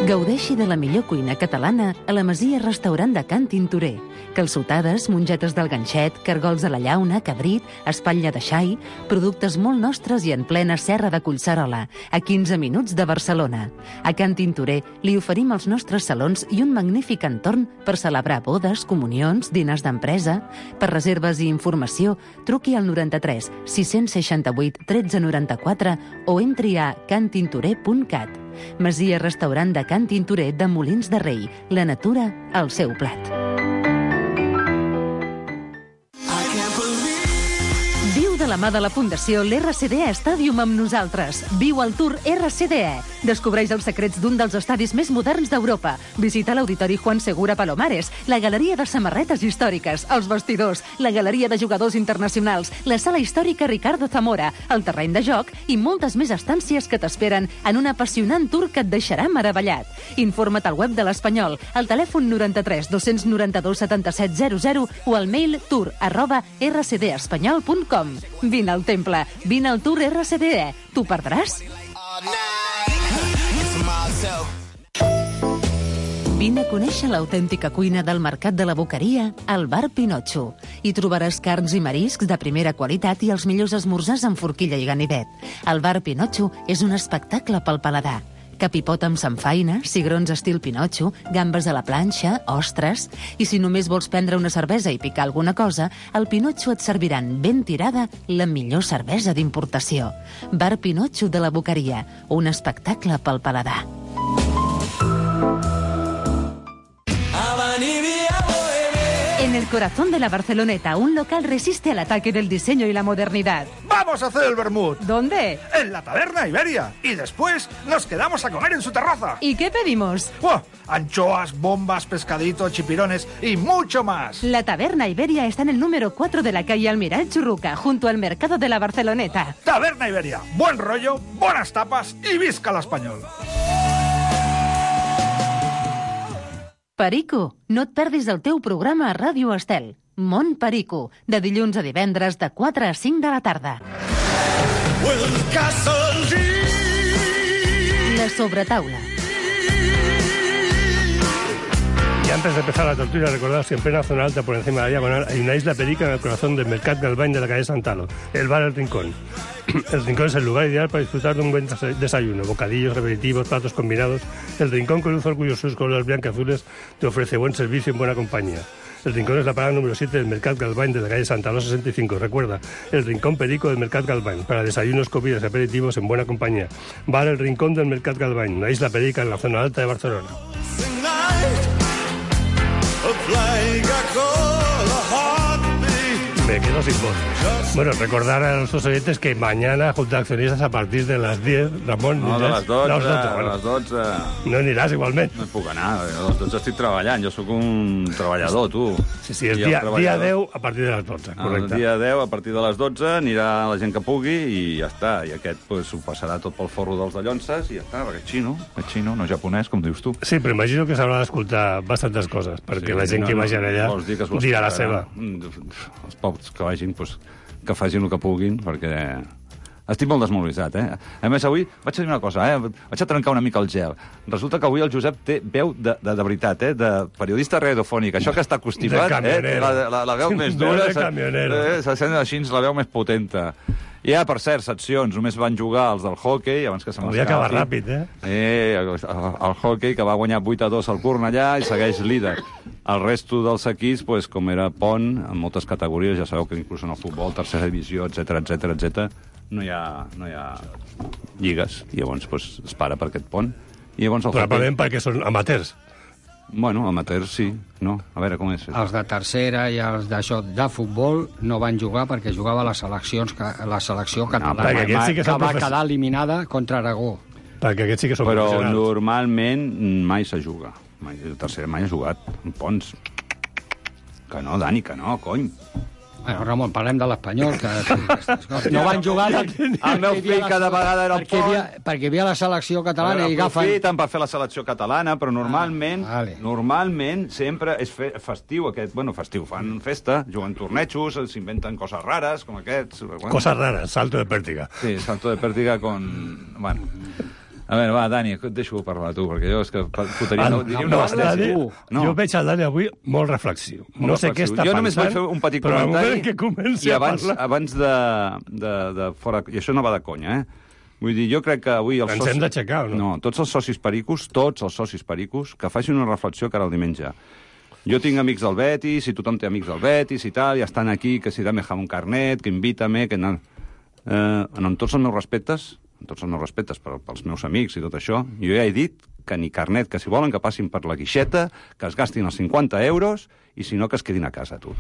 C: Gaudeixi de la millor cuina catalana a la Masia Restaurant de Can Tintorer. Calçotades, mongetes del ganxet, cargols de la llauna, cabrit, espatlla de xai, productes molt nostres i en plena serra de Collserola, a 15 minuts de Barcelona. A Can Tintorer li oferim els nostres salons i un magnífic entorn per celebrar bodes, comunions, dinars d'empresa. Per reserves i informació, truqui al 93 668 1394 o entri a cantintorer.cat. Masia Restaurant de Can Tintorer de Molins de Rei. La natura al seu plat. Viu de la mà de la Fundació l'RCDE Stadium amb nosaltres. Viu el Tour RCDE. Descobreix els secrets d'un dels estadis més moderns d'Europa. Visita l'Auditori Juan Segura Palomares, la Galeria de Samarretes Històriques, els vestidors, la Galeria de Jugadors Internacionals, la Sala Històrica Ricardo Zamora, el terreny de joc i moltes més estàncies que t'esperen en un apassionant tour que et deixarà meravellat. Informa't al web de l'Espanyol, al telèfon 93 292 77 00 o al mail tour@rcdespanyol.com. Vine al temple, vine al Tour RCDE. T'ho perdràs? Vine a conèixer l'autèntica cuina del Mercat de la Boqueria al Bar Pinotxo. Hi trobaràs carns i mariscs de primera qualitat i els millors esmorzars amb forquilla i ganivet. El Bar Pinotxo és un espectacle pel paladar. Capipot amb samfaina, cigrons estil Pinotxo, gambes a la planxa, ostres... I si només vols prendre una cervesa i picar alguna cosa, al Pinotxo et serviran ben tirada la millor cervesa d'importació. Bar Pinotxo de la Boqueria, un espectacle pel paladar. En el corazón de la Barceloneta, un local resiste al ataque del diseño y la modernidad.
N: ¡Vamos a hacer el vermut!
C: ¿Dónde?
N: En la Taberna Iberia. Y después nos quedamos a comer en su terraza.
C: ¿Y qué pedimos?
N: ¡Oh! Anchoas, bombas, pescadito, chipirones y mucho más.
C: La Taberna Iberia está en el número 4 de la calle Almirall Churruca, junto al mercado de la Barceloneta.
N: Taberna Iberia. Buen rollo, buenas tapas y visca l'Espanyol.
C: Perico, no et perdis el teu programa a Ràdio Estel. Montparico, de dilluns a divendres de 4 a 5 de la tarda. La sobretaula.
F: Y antes de empezar la tertulia, recordaos que en plena zona alta, por encima de la diagonal, hay una isla perica en el corazón del Mercat del Bany de la calle Santalo, el bar El Rincón. El Rincón es el lugar ideal para disfrutar de un buen desayuno, bocadillos, aperitivos, platos combinados. El Rincón, con luz orgullosos colores blancazules, te ofrece buen servicio en buena compañía. El Rincón es la parada número 7 del Mercat Galvany de la calle Santa Rosa 65. Recuerda, el Rincón Perico del Mercat Galvany, para desayunos, comidas y aperitivos en buena compañía. Bar El Rincón del Mercat Galvany, una isla perica en la zona alta de Barcelona. Me quedo sin voz. Bueno, recordar a nuestros oyentes que mañana, junto a accionistas, a partir de las 10, Ramon...
I: No, de les 12,
F: bueno.
I: a les 12...
F: No aniràs, igualment.
I: No hi puc anar, a les 12 estic treballant, jo sóc un treballador, tu.
F: Sí, és dia 10 a partir de les 12, correcte.
I: El dia 10 a partir de les 12 anirà la gent que pugui i ja està. I aquest pues, ho passarà tot pel forro dels dallonses i ja està, perquè és xino, no japonès, com dius tu.
F: Sí, però imagino que s'haurà d'escoltar bastantes coses, perquè la gent que vagi allà dirà la seva.
I: Els pocs que vagin, pues, que facin el que puguin, perquè estic molt desmobilitzat, eh? A més, avui vaig a dir una cosa, vaig a trencar una mica el gel. Resulta que avui el Josep té veu de veritat, de periodista radiofònic. Això que està constipat, la veu més dura, se sent així la veu més potenta. I per cert, seccions, només van jugar els del hockey, abans que se m'escapi.
F: Hauria acabat ràpid,
I: El hockey, que va guanyar 8-2 al Cornellà i segueix líder. El resto dels equips, pues, com era pont, en moltes categories, ja sabeu que inclús en el futbol, tercera divisió, etc, no hi ha lligues. I llavors pues, es para per aquest pont. I llavors el
F: probablement perquè són amateurs.
I: Bueno, amateurs sí, no? A veure, com és?
J: Els de tercera i els d'això de futbol no van jugar perquè jugava la selecció catalana, que va quedar eliminada contra Aragó.
F: Perquè aquests sí que són professionals.
I: Però normalment mai se juga. El tercer mai ha jugat. En Pons. Que no, Dani, que no, cony.
J: Bueno, Ramon, parlem de l'Espanyol, que no van jugar...
I: El meu fill cada vegada era el Pont.
J: Perquè hi havia la selecció catalana i agafen...
I: Aprofiten per fer la selecció catalana, però normalment sempre és festiu aquest. Bueno, festiu, fan festa, juguen tornejos, s'inventen coses rares, com aquests.
F: Coses rares, salto de pèrtiga.
I: Sí, salto de pèrtiga con... Bueno... A veure, va, Dani, et deixo parlar tu, perquè jo és que fotria una bastència.
F: Jo veig el Dani avui molt reflexiu. No sé què està pensant,
I: jo només vaig fer un petit comentari
F: que comenci a parlar...
I: abans de fora... I això no va de conya, Vull dir, jo crec que avui...
F: Ens hem d'aixecar, o no?
I: No, tots els socis pericos, que facin una reflexió cara al diumenge. Jo tinc amics del Betis, i tothom té amics del Betis i tal, i estan aquí, que si dame un carnet, que invítame, que... Amb tots els meus respectes pels meus amics i tot això, jo ja he dit que ni carnet, que si volen que passin per la guixeta, que es gastin els 50 euros i si no que es quedin a casa, tu.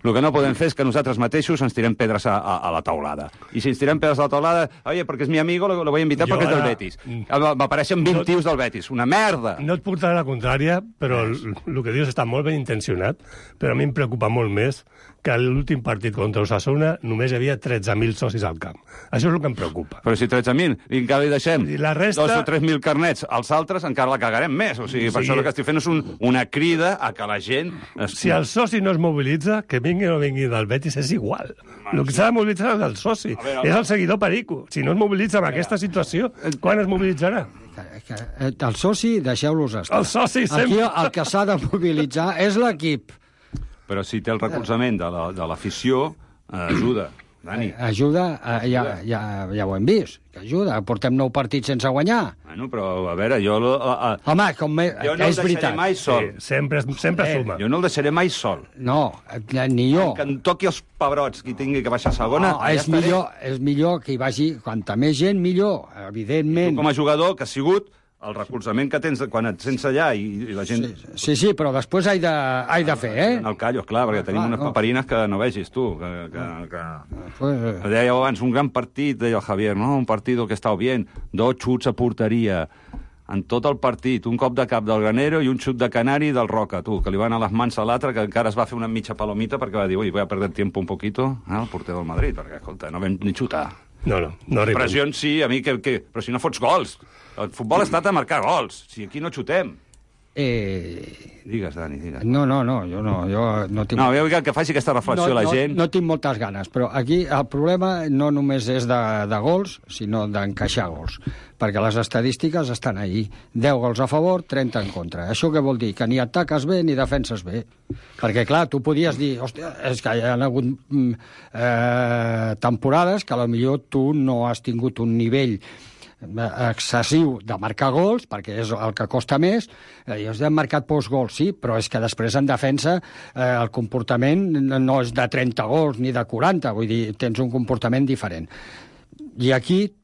I: El que no podem fer és que nosaltres mateixos ens tirem pedres a la taulada. I si ens tirem pedres a la taulada, oye, perquè és mi amigo, lo voy a invitar perquè és del Betis. M'apareixen 20 tios del Betis, una merda!
F: No et portaré la contrària, però el que dius està molt ben intencionat, però a mi em preocupa molt més que a l'últim partit contra Osasuna només hi havia 13.000 socis al camp. Això és el que em preocupa.
I: Però si 13.000, i encara li deixem
F: la resta...
I: 2 o 3.000 carnets, als altres encara la cagarem més. O sigui, per això el que estic fent és una crida a que la gent...
F: Si el soci no es mobilitza, que vingui o no vingui del Betis, és igual. El que s'ha de mobilitzar és el soci. És el seguidor perico. Si no es mobilitza en aquesta situació, quan es mobilitzarà?
J: El soci, deixeu-los estar.
F: El soci sempre...
J: Aquí el que s'ha de mobilitzar és l'equip.
I: Però si té el recolzament de l'afició, ajuda, Dani.
J: Ajuda, ja ho hem vist, que ajuda. Portem 9 partits sense guanyar.
I: Bueno, però, a veure, jo...
J: Home,
I: jo no el deixaré mai sol.
F: Sempre suma.
I: Jo no el deixaré mai sol.
J: No, ni jo.
I: Que em toqui els pebrots qui tingui que baixar a segona...
J: No, és millor que hi vagi... Quanta més gent, millor, evidentment.
I: Tu, com a jugador, que ha sigut... el recolzament que tens quan et sents allà i la gent...
J: Sí, però després he de fer,
I: El callo, clar, perquè tenim unes paperines que no vegis, tu. Deia abans, un gran partit, deia el Javier, no? Un partit que estava bien, 2 xuts a porteria, en tot el partit, un cop de cap del Granero i un xut de Canari del Roca, tu, que li van a les mans a l'altre, que encara es va fer una mitja palomita perquè va dir, ui, voy a perder tiempo un poquito, el porter del Madrid, perquè, escolta, no vam ni xutar.
F: No arribem.
I: Pressions sí, a mi, però si no fots gols. El futbol ha estat a marcar gols. Si aquí no xutem. Digues, Dani, digues.
J: No, jo no tinc...
I: No, jo que faci aquesta reflexió la gent...
J: No tinc moltes ganes, però aquí el problema no només és de gols, sinó d'encaixar gols, perquè les estadístiques estan allí. 10 gols a favor, 30 en contra. Això què vol dir? Que ni ataques bé ni defenses bé. Perquè, clar, tu podies dir, hòstia, és que hi ha hagut temporades que potser tu no has tingut un nivell excessiu de marcar gols, perquè és el que costa més, i has marcat pocs gols, sí, però és que després en defensa el comportament no és de 30 gols ni de 40, vull dir, tens un comportament diferent. I aquí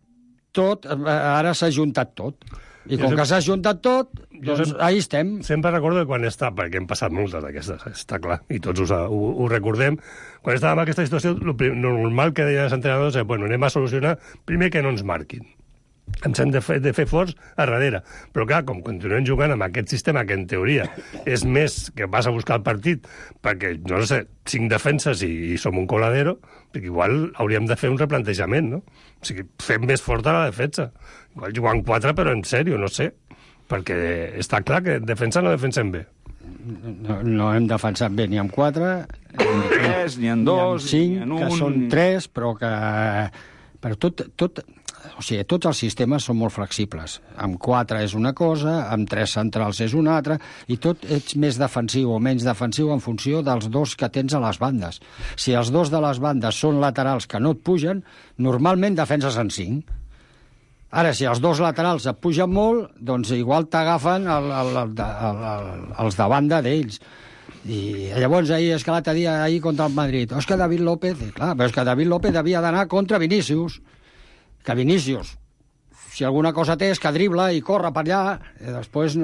J: tot, ara s'ha juntat tot. I com que s'ha juntat tot, doncs ahí estem.
F: Sempre recordo que quan perquè hem passat moltes d'aquestes, està clar, i tots ho recordem, quan estàvem en aquesta situació, el normal que deien els entrenadors és, bueno, anem a solucionar, primer que no ens marquin. Ens hem de fer forts a darrere. Però clar, com continuem jugant amb aquest sistema que en teoria és més que vas a buscar el partit perquè, no sé, 5 defenses i som un coladero, perquè igual hauríem de fer un replantejament, no? O sigui, fem més forta la defensa. Igual jugant 4, però en sèrio, no sé. Perquè està clar que defensa no defensem bé.
J: No hem defensat bé ni amb 4,
I: ni en 3, ni en 2,
J: ni en 5, que són 3, però que... Però o sigui, tots els sistemes són molt flexibles. Amb 4 és una cosa, amb 3 centrals és una altra, i tot ets més defensiu o menys defensiu en funció dels dos que tens a les bandes. Si els dos de les bandes són laterals que no et pugen, normalment defenses en 5. Ara, si els dos laterals et pugen molt, doncs igual t'agafen els de banda d'ells. I llavors és que l'altre dia ahir contra el Madrid, és que David López, clar, però és que David López havia d'anar contra Vinícius, que Vinícius, si alguna cosa té és que dribla i corre per allà, després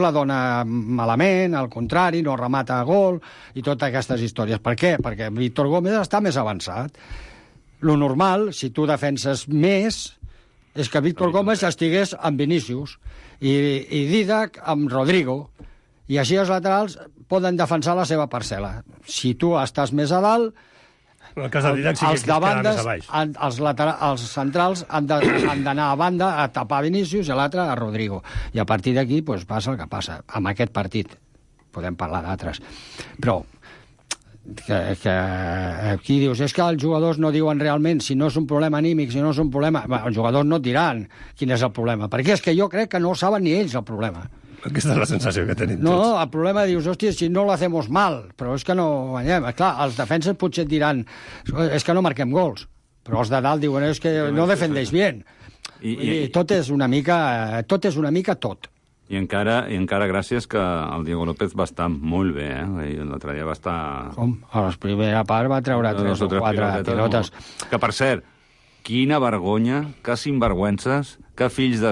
J: la dona malament, al contrari, no remata a gol, i totes aquestes històries. Per què? Perquè Víctor Gómez està més avançat. Lo normal, si tu defenses més, és que Víctor Gómez estigués amb Vinícius i Dídac amb Rodrigo, i així els laterals poden defensar la seva parcel·la. Si tu estàs més a dalt, els de bandes, els centrals han d'anar a banda a tapar Vinícius i l'altre a Rodrigo. I a partir d'aquí passa el que passa. Amb aquest partit podem parlar d'altres. Però que aquí dius, és que els jugadors no diuen realment si no és un problema anímic, si no és un problema... Els jugadors no et diran quin és el problema, perquè és que jo crec que no saben ni ells el problema.
F: Aquesta és la sensació que tenim tots.
J: No, el problema dius, hòstia, si no lo hacemos mal, però és que no guanyem. Clar, els defenses potser et diran, és que no marquem gols, però els de dalt diuen, és que no defendeix bien. I tot és una mica tot.
I: I encara gràcies que el Diego López va estar molt bé, l'altre dia va estar...
J: Com? A la primera part va treure 3 o 4 pilotes.
I: Que, per cert, quina vergonya, que sinvergüences, que fills de...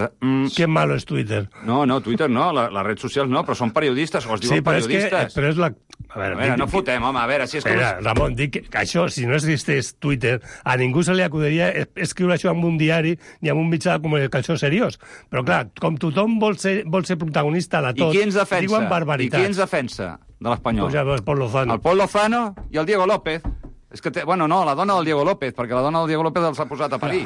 F: Que malo és Twitter.
I: No, Twitter no, les redes socials no, però són periodistes, o es diuen periodistes.
F: Però és la...
I: A veure, no fotem, home, a veure, si és com...
F: Ramon, dic que això, si no existeix Twitter, a ningú se li acudiria escriure això en un diari ni en un mitjà de comunicació seriós. Però, clar, com tothom vol ser protagonista de tot, diuen barbaritats.
I: I qui ens defensa de l'Espanyol?
F: El Pol Lozano.
I: El Pol Lozano i el Diego López. És que, bueno, no, la dona del Diego López, perquè la dona del Diego López els ha posat a parir.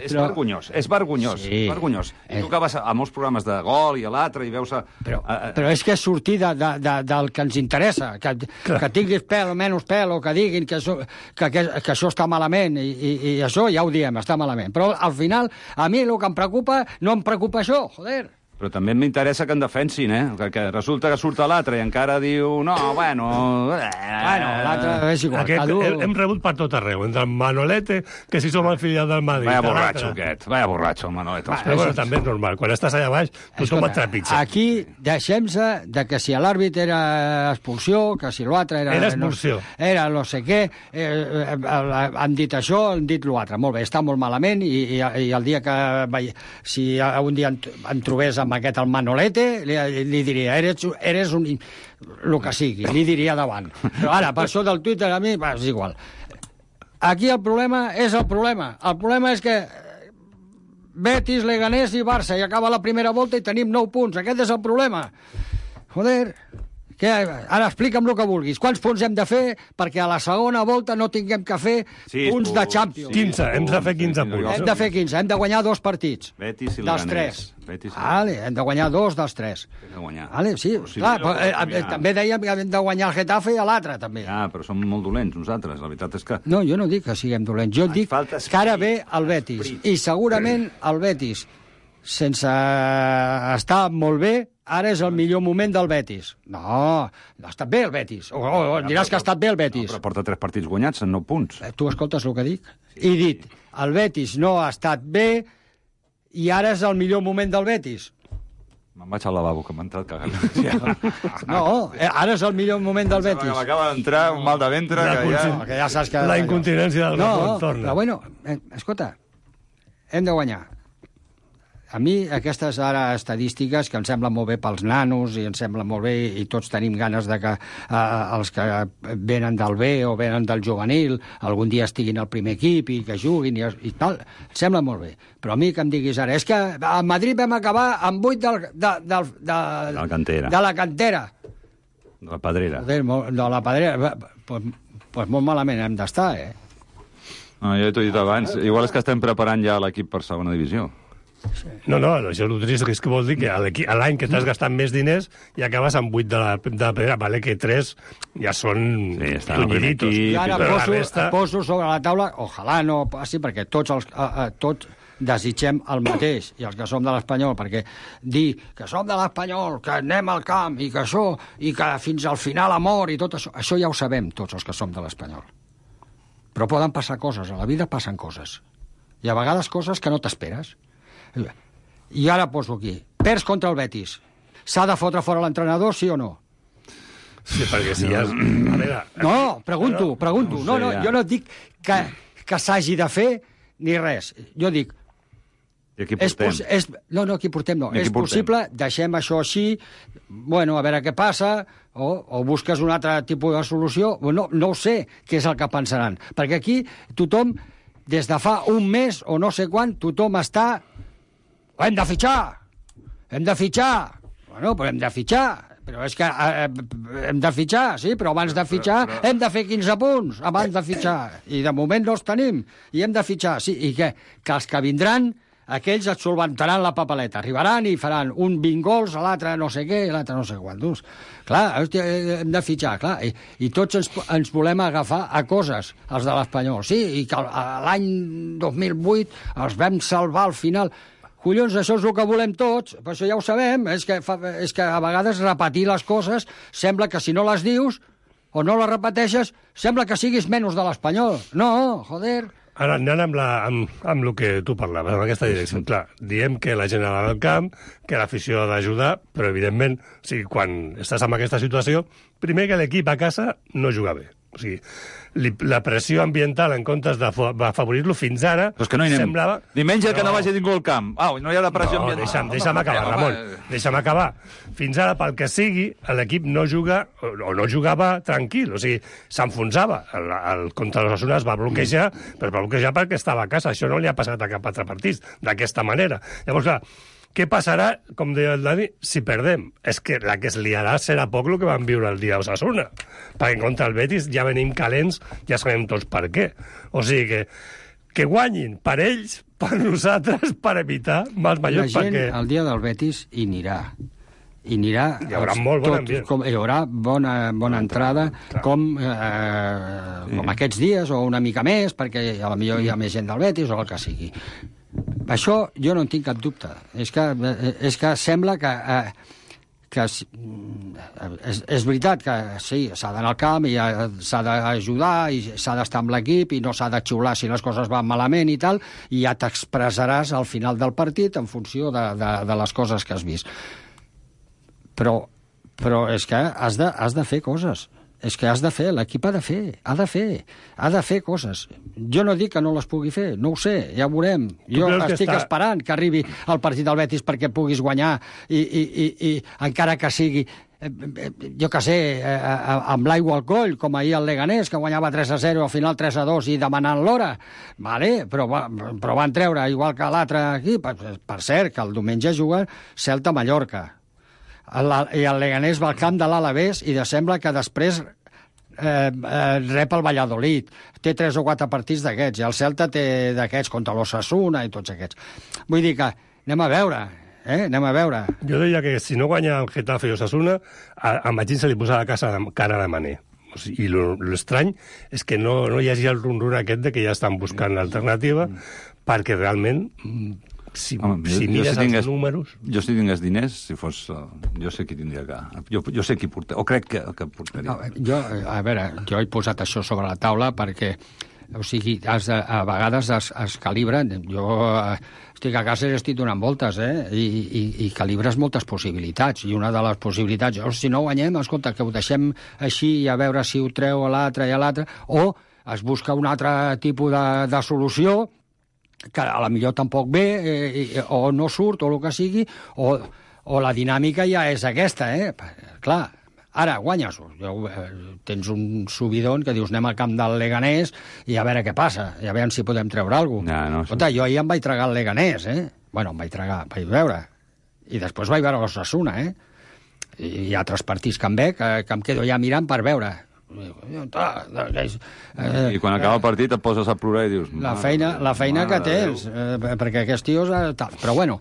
I: És vergonyós, és vergonyós. Sí. Vergonyós. I tu que vas a molts programes de gol i a l'altre i veus...
J: Però és que és sortir del que ens interessa, que tinguis pèl o menys pèl, o que diguin que això està malament, i això ja ho diem, està malament. Però al final, a mi el que em preocupa, no em preocupa això, joder.
I: Però també m'interessa que en defensin, que resulta que surt l'altre i encara diu, no, bueno...
J: l'altre és igual.
F: Hem rebut per tot arreu, entre el Manolete, que si som el filial del Madrid...
I: Vaya borratxo, el Manolete.
F: Però també és normal, quan estàs allà baix, tothom et trepitja.
J: Aquí deixem-se de que si l'àrbit era expulsió, que si l'altre era...
F: Era expulsió.
J: Era no sé què, han dit això, han dit l'altre. Molt bé, està molt malament, i el dia que... Si un dia en trobés amb aquest el Manolete, li diria, eres un... el que sigui, li diria davant. Però ara, per això del Twitter, a mi, és igual. Aquí el problema és el problema. El problema és que Betis, Leganés i Barça, i acaba la primera volta i tenim 9 punts. Aquest és el problema. Joder, Ara explica'm el que vulguis. Quants punts hem de fer perquè a la segona volta no tinguem que fer punts de Champions?
F: 15, hem de fer 15 punts.
J: Hem de fer 15, hem de guanyar 2 partits.
I: Betis i
J: dels 3. Vale, hem de guanyar 2 dels 3.
I: Hem de guanyar.
J: Vale, sí, clar, també dèiem que hem de guanyar el Getafe i a l'altre, també.
I: Ja, però som molt dolents, nosaltres. La veritat és que...
J: No, jo no dic que siguem dolents. Jo dic que ara ve el Betis. I segurament el Betis, sense estar molt bé, ara és el millor moment del Betis. No ha estat bé el Betis. O diràs que ha estat bé el Betis.
I: No, però porta 3 partits guanyats en 9 punts.
J: Tu escoltes el que dic? He dit, el Betis no ha estat bé i ara és el millor moment del Betis.
I: Me'n vaig al lavabo, que m'ha entrat cagant.
J: No, ara és el millor moment del Betis.
I: M'acaba d'entrar un mal de ventre
J: que ja saps que...
F: La incontinència del Ramon torna.
J: Però bueno, escolta, hem de guanyar. A mi aquestes ara estadístiques que em semblen molt bé pels nanos i em semblen molt bé i tots tenim ganes de que els que venen del B o venen del juvenil algun dia estiguin al primer equip i que juguin i tal, em sembla molt bé. Però a mi que em diguis ara, és que a Madrid vam acabar amb 8 de la cantera.
I: De la pedrera.
J: De la pedrera. Pues molt malament hem d'estar,
I: No, jo t'ho he dit abans. Igual és que estem preparant ja l'equip per segona divisió.
F: No, això el trist és que vol dir que a l'any que t'has gastat més diners i acabes amb 8 de la pedra, vale, que 3 ja són tunyiritos.
J: I ara poso sobre la taula, ojalà no passi, perquè tots desitgem el mateix, i els que som de l'Espanyol, perquè dir que som de l'Espanyol, que anem al camp, i que això, i que fins al final amor, i tot això ja ho sabem, tots els que som de l'Espanyol. Però poden passar coses, a la vida passen coses. I a vegades coses que no t'esperes. I ara poso aquí. Perds contra el Betis. S'ha de fotre fora l'entrenador, sí o no?
F: Sí, perquè si ja...
J: No, pregunto. No, jo no dic que s'hagi de fer ni res. Jo dic...
I: I aquí portem?
J: Aquí portem no. És possible, deixem això així, bueno, a veure què passa, o busques un altre tipus de solució. No ho sé què és el que pensaran. Perquè aquí tothom, des de fa un mes o no sé quan, tothom està... Hem de fitxar! Bueno, però hem de fitxar. Però és que hem de fitxar, sí, però abans de fitxar hem de fer 15 punts, abans de fitxar. I de moment no els tenim, i hem de fitxar. Sí, i què? Que els que vindran, aquells et solventaran la papeleta. Arribaran i faran un 20 gols, l'altre no sé què, l'altre no sé quantos. Clar, hòstia, hem de fitxar, clar. I tots ens volem agafar a coses, els de l'Espanyol. Sí, i que l'any 2008 els vam salvar al final... Collons, això és el que volem tots, però això ja ho sabem, és que a vegades repetir les coses sembla que si no les dius o no les repeteixes, sembla que siguis menys de l'Espanyol. No, joder...
F: Ara, anant amb el que tu parlaves, en aquesta direcció. Clar, diem que la gent ha d'anar al camp, que l'afició ha d'ajudar, però, evidentment, o sigui, quan estàs en aquesta situació, primer que l'equip a casa no juga bé. O sigui, la pressió ambiental en comptes d'afavorir-lo fins ara semblava...
I: Diumenge que no vagi ningú al camp. No hi ha la pressió ambiental.
F: Deixa'm acabar, Ramon. Deixa'm acabar. Fins ara, pel que sigui, l'equip no juga, o no jugava tranquil. O sigui, s'enfonsava. Contra l'Osasuna es va bloquejar, però es va bloquejar perquè estava a casa. Això no li ha passat a cap altre partit, d'aquesta manera. Llavors, clar, què passarà, com deia el Dani, si perdem? És que la que es liarà serà poc el que vam viure el dia d'Osasuna. Perquè contra el Betis ja venim calents, ja sabem tots per què. O sigui que guanyin per ells, per nosaltres, per evitar mals majors.
J: La gent el dia del Betis hi anirà. Hi
F: haurà molt bon ambient.
J: Hi haurà bona entrada, com aquests dies, o una mica més, perquè potser hi ha més gent del Betis, o el que sigui. Això jo no en tinc cap dubte. És que sembla que és veritat que sí, s'ha d'anar al camp i s'ha d'ajudar i s'ha d'estar amb l'equip i no s'ha de xiular si les coses van malament i tal, i ja t'expressaràs al final del partit en funció de les coses que has vist. Però és que has de fer coses. És que has de fer, l'equip ha de fer coses. Jo no dic que no les pugui fer, no ho sé, ja ho veurem. Jo estic esperant que arribi el partit del Betis perquè puguis guanyar i encara que sigui, jo que sé, amb l'aigua al coll, com ahir el Leganés, que guanyava 3-0, al final 3-2 i demanant l'hora. Vale, però van treure, igual que l'altre aquí, per cert, que el diumenge juga Celta-Mallorca. i el Leganés va al camp de l'Alavés i sembla que després rep el Valladolid. Té 3 o 4 partits d'aquests, i el Celta té d'aquests contra l'Osasuna i tots aquests. Vull dir que anem a veure. Anem a veure.
F: Jo deia que si no guanya el Getafe i Osasuna, a Machín se li posa la cara de Mané. O sigui, i l'estrany és que no hi hagi el rum-rum aquest de que ja estan buscant l'alternativa, perquè realment, si mires els números...
I: Jo si tingués diners, si fos... jo sé qui tindria que... Jo sé qui portaria, o crec que portaria.
J: A veure, jo he posat això sobre la taula perquè, o sigui, a vegades es calibren. Jo estic a casa i estic donant voltes, i calibres moltes possibilitats. I una de les possibilitats, si no guanyem, escolta, que ho deixem així i a veure si ho treu a l'altre i a l'altre, o es busca un altre tipus de solució que a la millor tampoc ve, o no surt, o el que sigui, o la dinàmica ja és aquesta, Clar, ara guanyes, tens un subidon que dius anem al camp del Leganés i a veure què passa, i a veure si podem treure alguna cosa. Escolta, jo ahir em vaig tragar el Leganés, Bueno, em vaig veure. I després vaig veure l'Osasuna, I hi ha altres partits que em veig, que em quedo ja mirant per veure.
I: I quan acaba el partit et poses a plorar i dius...
J: La feina que tens, perquè aquests tios... Però bueno,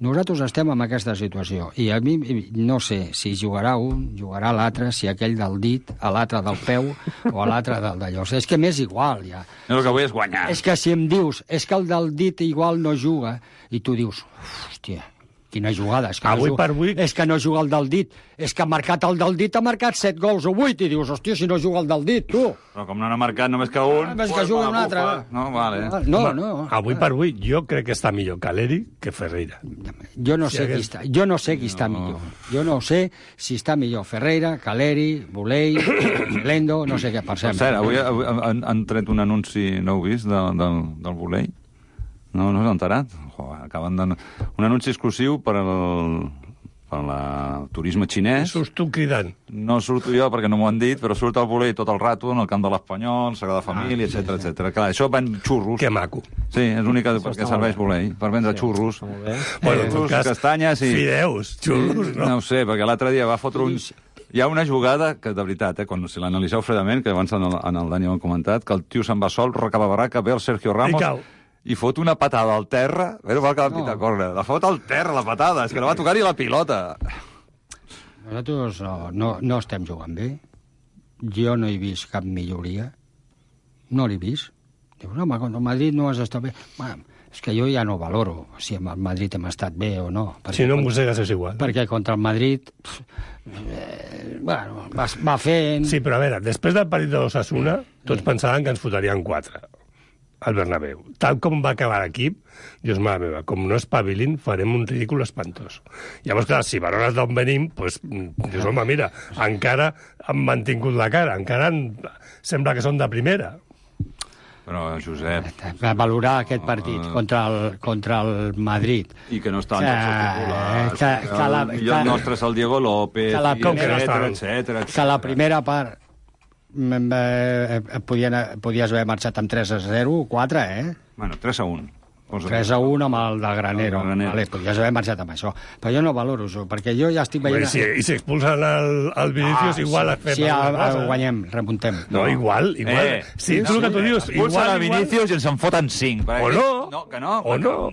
J: nosaltres estem en aquesta situació, i a mi no sé si jugarà un, jugarà l'altre, si aquell del dit, a l'altre del peu, o a l'altre del d'allò. És que m'és igual, ja.
I: No, el que vull és guanyar.
J: És que si em dius, és que el del dit igual no juga, i tu dius, hòstia, quina jugada. És que no juga el del dit. És que ha marcat el del dit, ha marcat 7 gols o 8, i dius, hòstia, si no juga el del dit, tu.
I: Però com no n'ha marcat només que un...
J: Només que juga un altre.
I: No, vale.
J: No.
F: Avui per avui, jo crec que està millor Caleri que Ferreira.
J: Jo no sé qui està millor. Jo no sé si està millor Ferreira, Caleri, Bulei, Lendo, no sé què pensem.
I: Per cert, avui han tret un anunci, no heu vist, del Bulei? No us heu enterat? Acaben de... Un anunci exclusiu per al turisme xinès.
F: Surts tu cridant.
I: No surto jo perquè no m'ho han dit, però surt el Bulei tot el rato en el camp de l'Espanyol, Sagrada Família, etc. Clar, això ven xurros.
F: Que maco.
I: Sí, és l'única perquè serveix Bulei, per vendre xurros. Xurros, castanyes i...
F: Fideus, xurros, no?
I: No ho sé, perquè l'altre dia va fotre un... Hi ha una jugada que, de veritat, si l'analitzeu fredament, que abans en el Dani ho hem comentat, que el tio se'n va sol, recababarraca, ve el Sergio Ramos... I fot una patada al terra, però va quedar pita corna. La fot al terra, la patada, és que no va tocar-hi la pilota.
J: Nosaltres no estem jugant bé. Jo no he vist cap milloria. No l'he vist. Dius, home, contra el Madrid no has estat bé. Bueno, és que jo ja no valoro si amb el Madrid hem estat bé o no.
F: Si no mossegues és igual.
J: Perquè contra el Madrid... bueno, va fent...
F: Sí, però a veure, després del partit de l'Osasuna, tots pensaven que ens fotrien 4. Al Bernabéu. Tal com va acabar l'equip, Dios mare meva, com no espavilin, farem un ridícul espantós. Llavors, clar, si valores d'on venim, doncs, dius, home, mira, encara han mantingut la cara, encara sembla que són de primera.
I: Però, Josep...
J: Valorar aquest partit contra el Madrid.
I: I que no estan titulars. I el nostre és el Diego López, etc.
J: Que la primera part... podies haver marxat amb 3-0, 4,
I: Bueno, 3-1.
J: 3-1 amb el del Granero. Vale, podries haver marxat amb això. Però jo no valoro això, perquè jo ja estic veient...
F: I si expulsen el Vinicius, igual fem
J: alguna cosa. Guanyem, remuntem.
F: No, igual. Sí, tu el que tu dius...
I: Expulsen el Vinicius i ens en foten 5.
F: O no.
I: No, que no.
F: O no.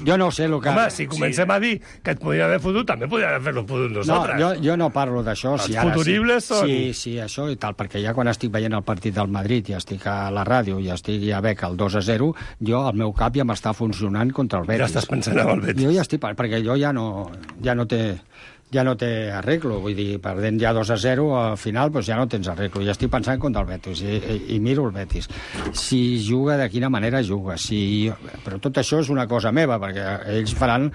J: Jo no sé el que...
F: Home, si comencem a dir que et podria haver fotut, també podria haver-lo fotut nosaltres.
J: No, jo no parlo d'això.
F: Els futuribles són...
J: Sí, això i tal, perquè ja quan estic veient el partit del Madrid i estic a la ràdio i estic ja veig el 2-0, jo, al meu cap, ja m'està funcionant contra el Betis.
F: Ja estàs pensant en el Betis.
J: Jo ja estic, perquè jo ja no té arreglo, vull dir, perdent ja 2-0 al final, doncs ja no tens arreglo. Ja estic pensant contra el Betis i miro el Betis. Si juga, de quina manera juga. Però tot això és una cosa meva, perquè ells faran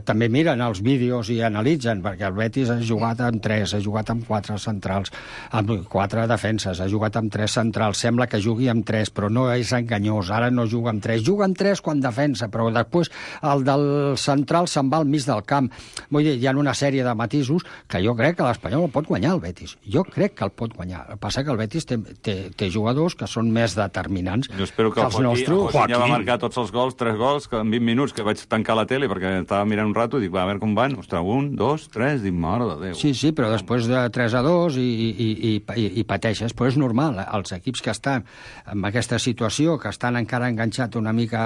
J: també miren els vídeos i analitzen, perquè el Betis ha jugat amb 3, ha jugat amb 4 centrals, amb 4 defenses, ha jugat amb 3 centrals, sembla que jugui amb 3, però no és enganyós, ara no juga amb 3, juga amb 3 quan defensa, però després el del central se'n va al mig del camp. Vull dir, ha una sèrie de matisos que jo crec que l'Espanyol el pot guanyar, el Betis. Jo crec que el pot guanyar. El que passa que el Betis té jugadors que són més determinants
I: jo espero que
J: els nostres.
I: Joaquín ja va marcar tots els gols, 3 gols, que en 20 minuts, que vaig tancar la tele perquè estava mirant un rato i dic, va, a veure com van. Ostres, 1, 2, 3, dic, mare de Déu.
J: Sí, però després de 3-2 i pateixes. Però és normal, els equips que estan en aquesta situació, que estan encara enganxats una mica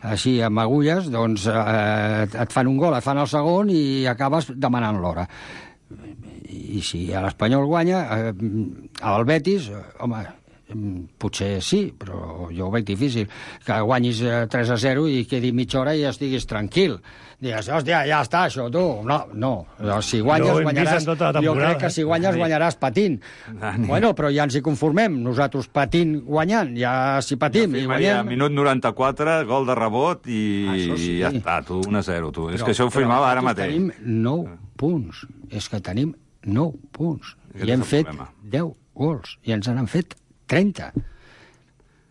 J: així amb agulles, doncs et fan un gol, et fan el segon i acabes demanant l'hora. I si l'Espanyol guanya, el Betis, home, potser sí, però jo ho veig difícil, que guanyis 3-0 i quedi mitja hora i estiguis tranquil. Digues, hòstia, ja està, això, tu. No, si guanyes, guanyaràs. Jo crec que si guanyes, guanyaràs patint. Bueno, però ja ens hi conformem. Nosaltres patint guanyant, ja si patim i guanyem...
I: Minut 94, gol de rebot i ja està, tu, 1-0, tu. És que això ho firmava ara mateix.
J: Tenim 9 punts. És que tenim 9 punts. I hem fet 10 gols. I ens n'han fet 30.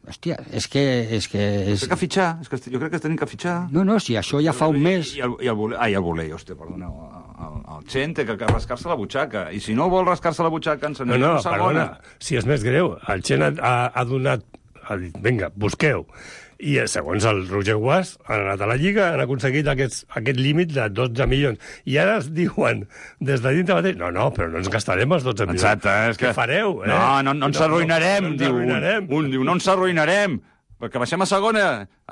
J: Hòstia, és que...
I: Té que fitxar, jo crec que tenim que fitxar.
J: No, si això ja fa un mes...
I: I el voler, hòstia, perdona, el Chen té que rascar-se la butxaca, i si no vol rascar-se la butxaca, ens n'anem a segona.
F: Perdona, si és més greu, el Chen ha donat... Ha dit, vinga, busqueu. I segons el Roger Guas, han anat a la Lliga, han aconseguit aquest límit de 12 milions. I ara es diuen, des de dintre mateix, no, però no ens gastarem els 12 milions.
I: Exacte, és que...
F: Què fareu?
I: No ens arruïnarem, diu un. Diu, no ens arruïnarem, perquè baixem a segona.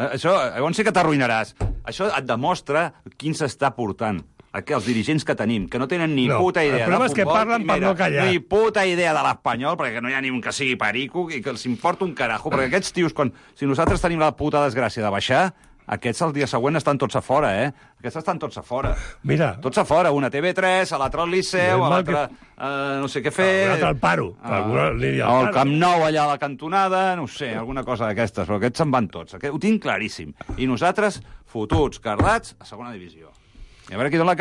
I: Això, llavors sí que t'arruïnaràs. Això et demostra quin s'està portant. Els dirigents que tenim, que no tenen ni puta idea de futbol.
F: El problema és que parlen per no callar.
I: Ni puta idea de l'Espanyol, perquè no hi ha ni un que sigui perico i que els importa un carajo, perquè aquests tios, si nosaltres tenim la puta desgràcia de baixar, aquests el dia següent estan tots a fora, Aquests estan tots a fora.
F: Mira.
I: Tots a fora, una TV3, a l'altre al Liceu, a l'altre no sé què fer...
F: A l'altre al Paro.
I: Al Camp Nou, allà a la cantonada, no sé, alguna cosa d'aquestes, però aquests se'n van tots. Ho tinc claríssim. I nosaltres, fotuts, cardats, a segona divisió. I a veure qui dona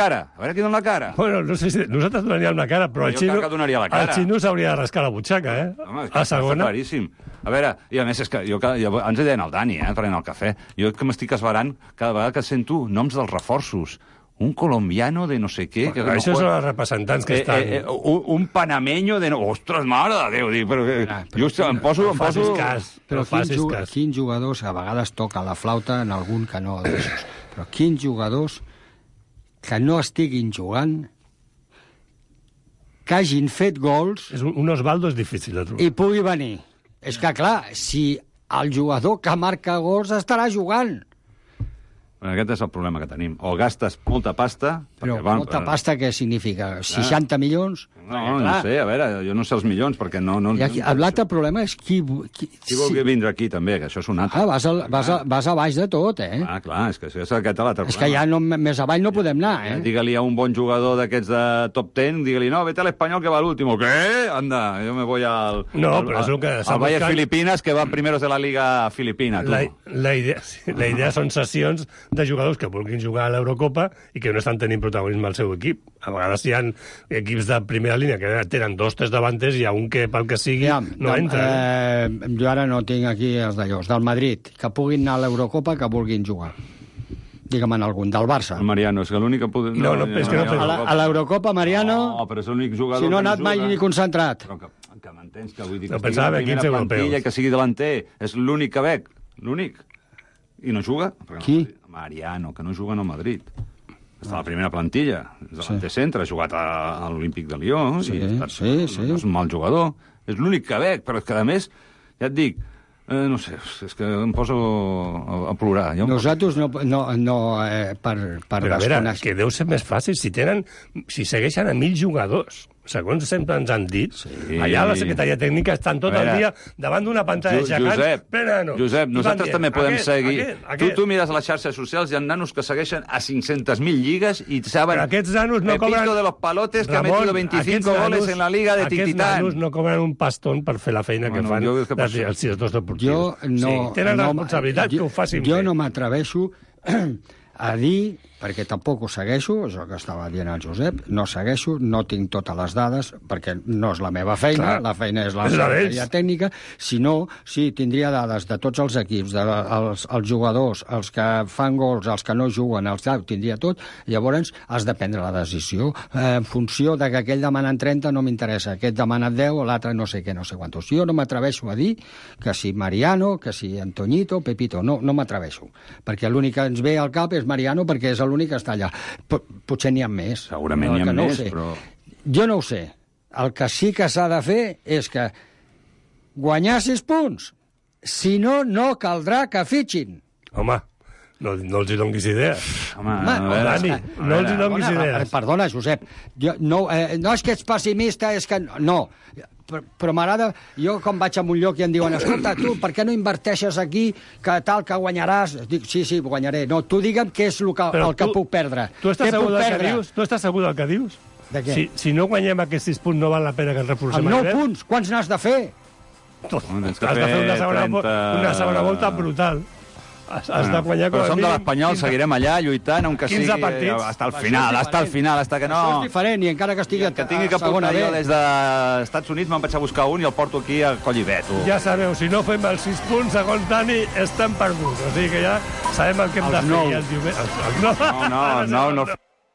I: la cara.
F: Bueno, no sé si nosaltres donaríem la cara, però el Xino s'hauria de rascar la butxaca,
I: Home, a segona. Està claríssim. A veure, i a més és que ens hi deien el Dani, prenent el cafè. Jo que m'estic esverant cada vegada que sento noms dels reforços. Un colombiano de no sé què...
F: Això són els representants que estan...
I: Un panameño de... Ostres, mare de Déu! Però just em poso...
J: Però quins jugadors a vegades toca la flauta en algun canó d'aixòs? Però quins jugadors que no estiguin jugant, que hagin fet gols...
F: Un Osvaldo és difícil de trobar.
J: I pugui venir. És que, clar, si el jugador que marca gols estarà jugant...
I: Aquest és el problema que tenim. O gastes molta pasta...
J: Però molta pasta què significa? 60 milions?
I: No sé, a veure, jo no sé els milions, perquè no...
J: L'altre problema és qui
I: vol vindre aquí, també, que això és un altre.
J: Vas a baix de tot,
I: clar, és que és aquest l'altre problema.
J: És que ja més avall no podem anar,
I: Digue-li a un bon jugador d'aquests de top 10, digue-li, no, vete a l'Espanyol que va l'últim. ¿Qué? Anda, jo me voy al...
F: No, però és el que...
I: Al Valle Filipinas, que van primeros de la Liga Filipina, tu.
F: La idea són sessions de jugadors que vulguin jugar a l'Eurocopa i que no estan tenint protagonisme al seu equip. A vegades hi ha equips de primera línia que tenen 2 o 3 davanters i hi ha un que, pel que sigui, no entra.
J: Jo ara no tinc aquí els d'allòs. Del Madrid, que puguin anar a l'Eurocopa, que vulguin jugar. Digue'm en algun, del Barça.
I: El Mariano, és que l'únic que pot...
J: A l'Eurocopa, Mariano...
I: No, però és l'únic jugador
J: si no ha anat mai ni concentrat.
I: Però que m'entens, que vull dir
F: que estigui en primera plantilla,
I: que sigui delanter. És l'únic que veig, l'únic. I no juga?
J: Qui?
I: Mariano, que no juga en el Madrid. Està a la primera plantilla. És delanter centre, ha jugat a l'Olímpic de Lió.
J: Sí.
I: No és un mal jugador. És l'únic que veig, però és que, a més, ja et dic, no sé, és que em poso a plorar.
J: Nosaltres no per
F: però a veure, que deu ser més fàcil si segueixen a 1.000 jugadors. Segons sempre ens han dit, allà a la secretaria tècnica estan tot el dia davant d'una pantalla gegant.
I: Josep, nosaltres també podem seguir. Tu mires a les xarxes socials, hi ha nanos que segueixen a 500.000 lligues i saben...
F: Aquests nanos no cobren...
I: Pepito de los Palotes, que ha metido 25 goles en la Liga de Tititán.
F: Aquests nanos no cobren un pastón per fer la feina que fan els directors deportius.
J: Tenen
F: responsabilitat que ho facin bé.
J: Jo no m'atreveixo a dir perquè tampoc ho segueixo, és el que estava dient el Josep, no segueixo, no tinc totes les dades, perquè no és la meva feina, la feina és la secretaria tècnica, sinó, sí, tindria dades de tots els equips, els jugadors, els que fan gols, els que no juguen, tindria tot, llavors has de prendre la decisió en funció de que aquell demanen 30 no m'interessa, aquest demana 10 o l'altre no sé què, no sé quantos. Jo no m'atreveixo a dir que si Mariano, que si Antoñito, Pepito, no m'atreveixo, perquè l'únic que ens ve al cap és Mariano perquè és l'únic que està allà. Potser n'hi ha més.
I: Segurament n'hi ha més, però...
J: Jo no ho sé. El que sí que s'ha de fer és que guanyar 6 punts. Si no, no caldrà que fitxin.
F: Home, no els hi donguis idees.
J: Dani,
F: no els hi donguis idees.
J: Perdona, Josep. No és que ets pessimista, és que... No. Però m'agrada, jo quan vaig a un lloc i em diuen escolta, tu, per què no inverteixes aquí que tal, que guanyaràs? Dic, sí, guanyaré. No, tu digue'm què és el que puc perdre.
F: Tu estàs segur del que dius? Tu estàs segur del que dius?
J: De què?
F: Si no guanyem aquests 6 punts no val la pena que ens reforcem.
J: 9 punts, quants n'has de fer?
F: Has de fer una segona volta brutal. Has de guanyar com a mínim...
I: Però som de l'Espanyol, seguirem allà lluitant, on que sigui...
F: 15 partits.
I: Hasta el final, hasta que no...
J: Això és diferent, i encara que estigui
I: que tingui que portar jo des dels Estats Units, me'n vaig a buscar un i el porto aquí a Collivet.
F: Ja sabeu, si no fem els 6 punts, segons Dani, estem perduts. O sigui que ja sabem el que hem de fer.
I: No.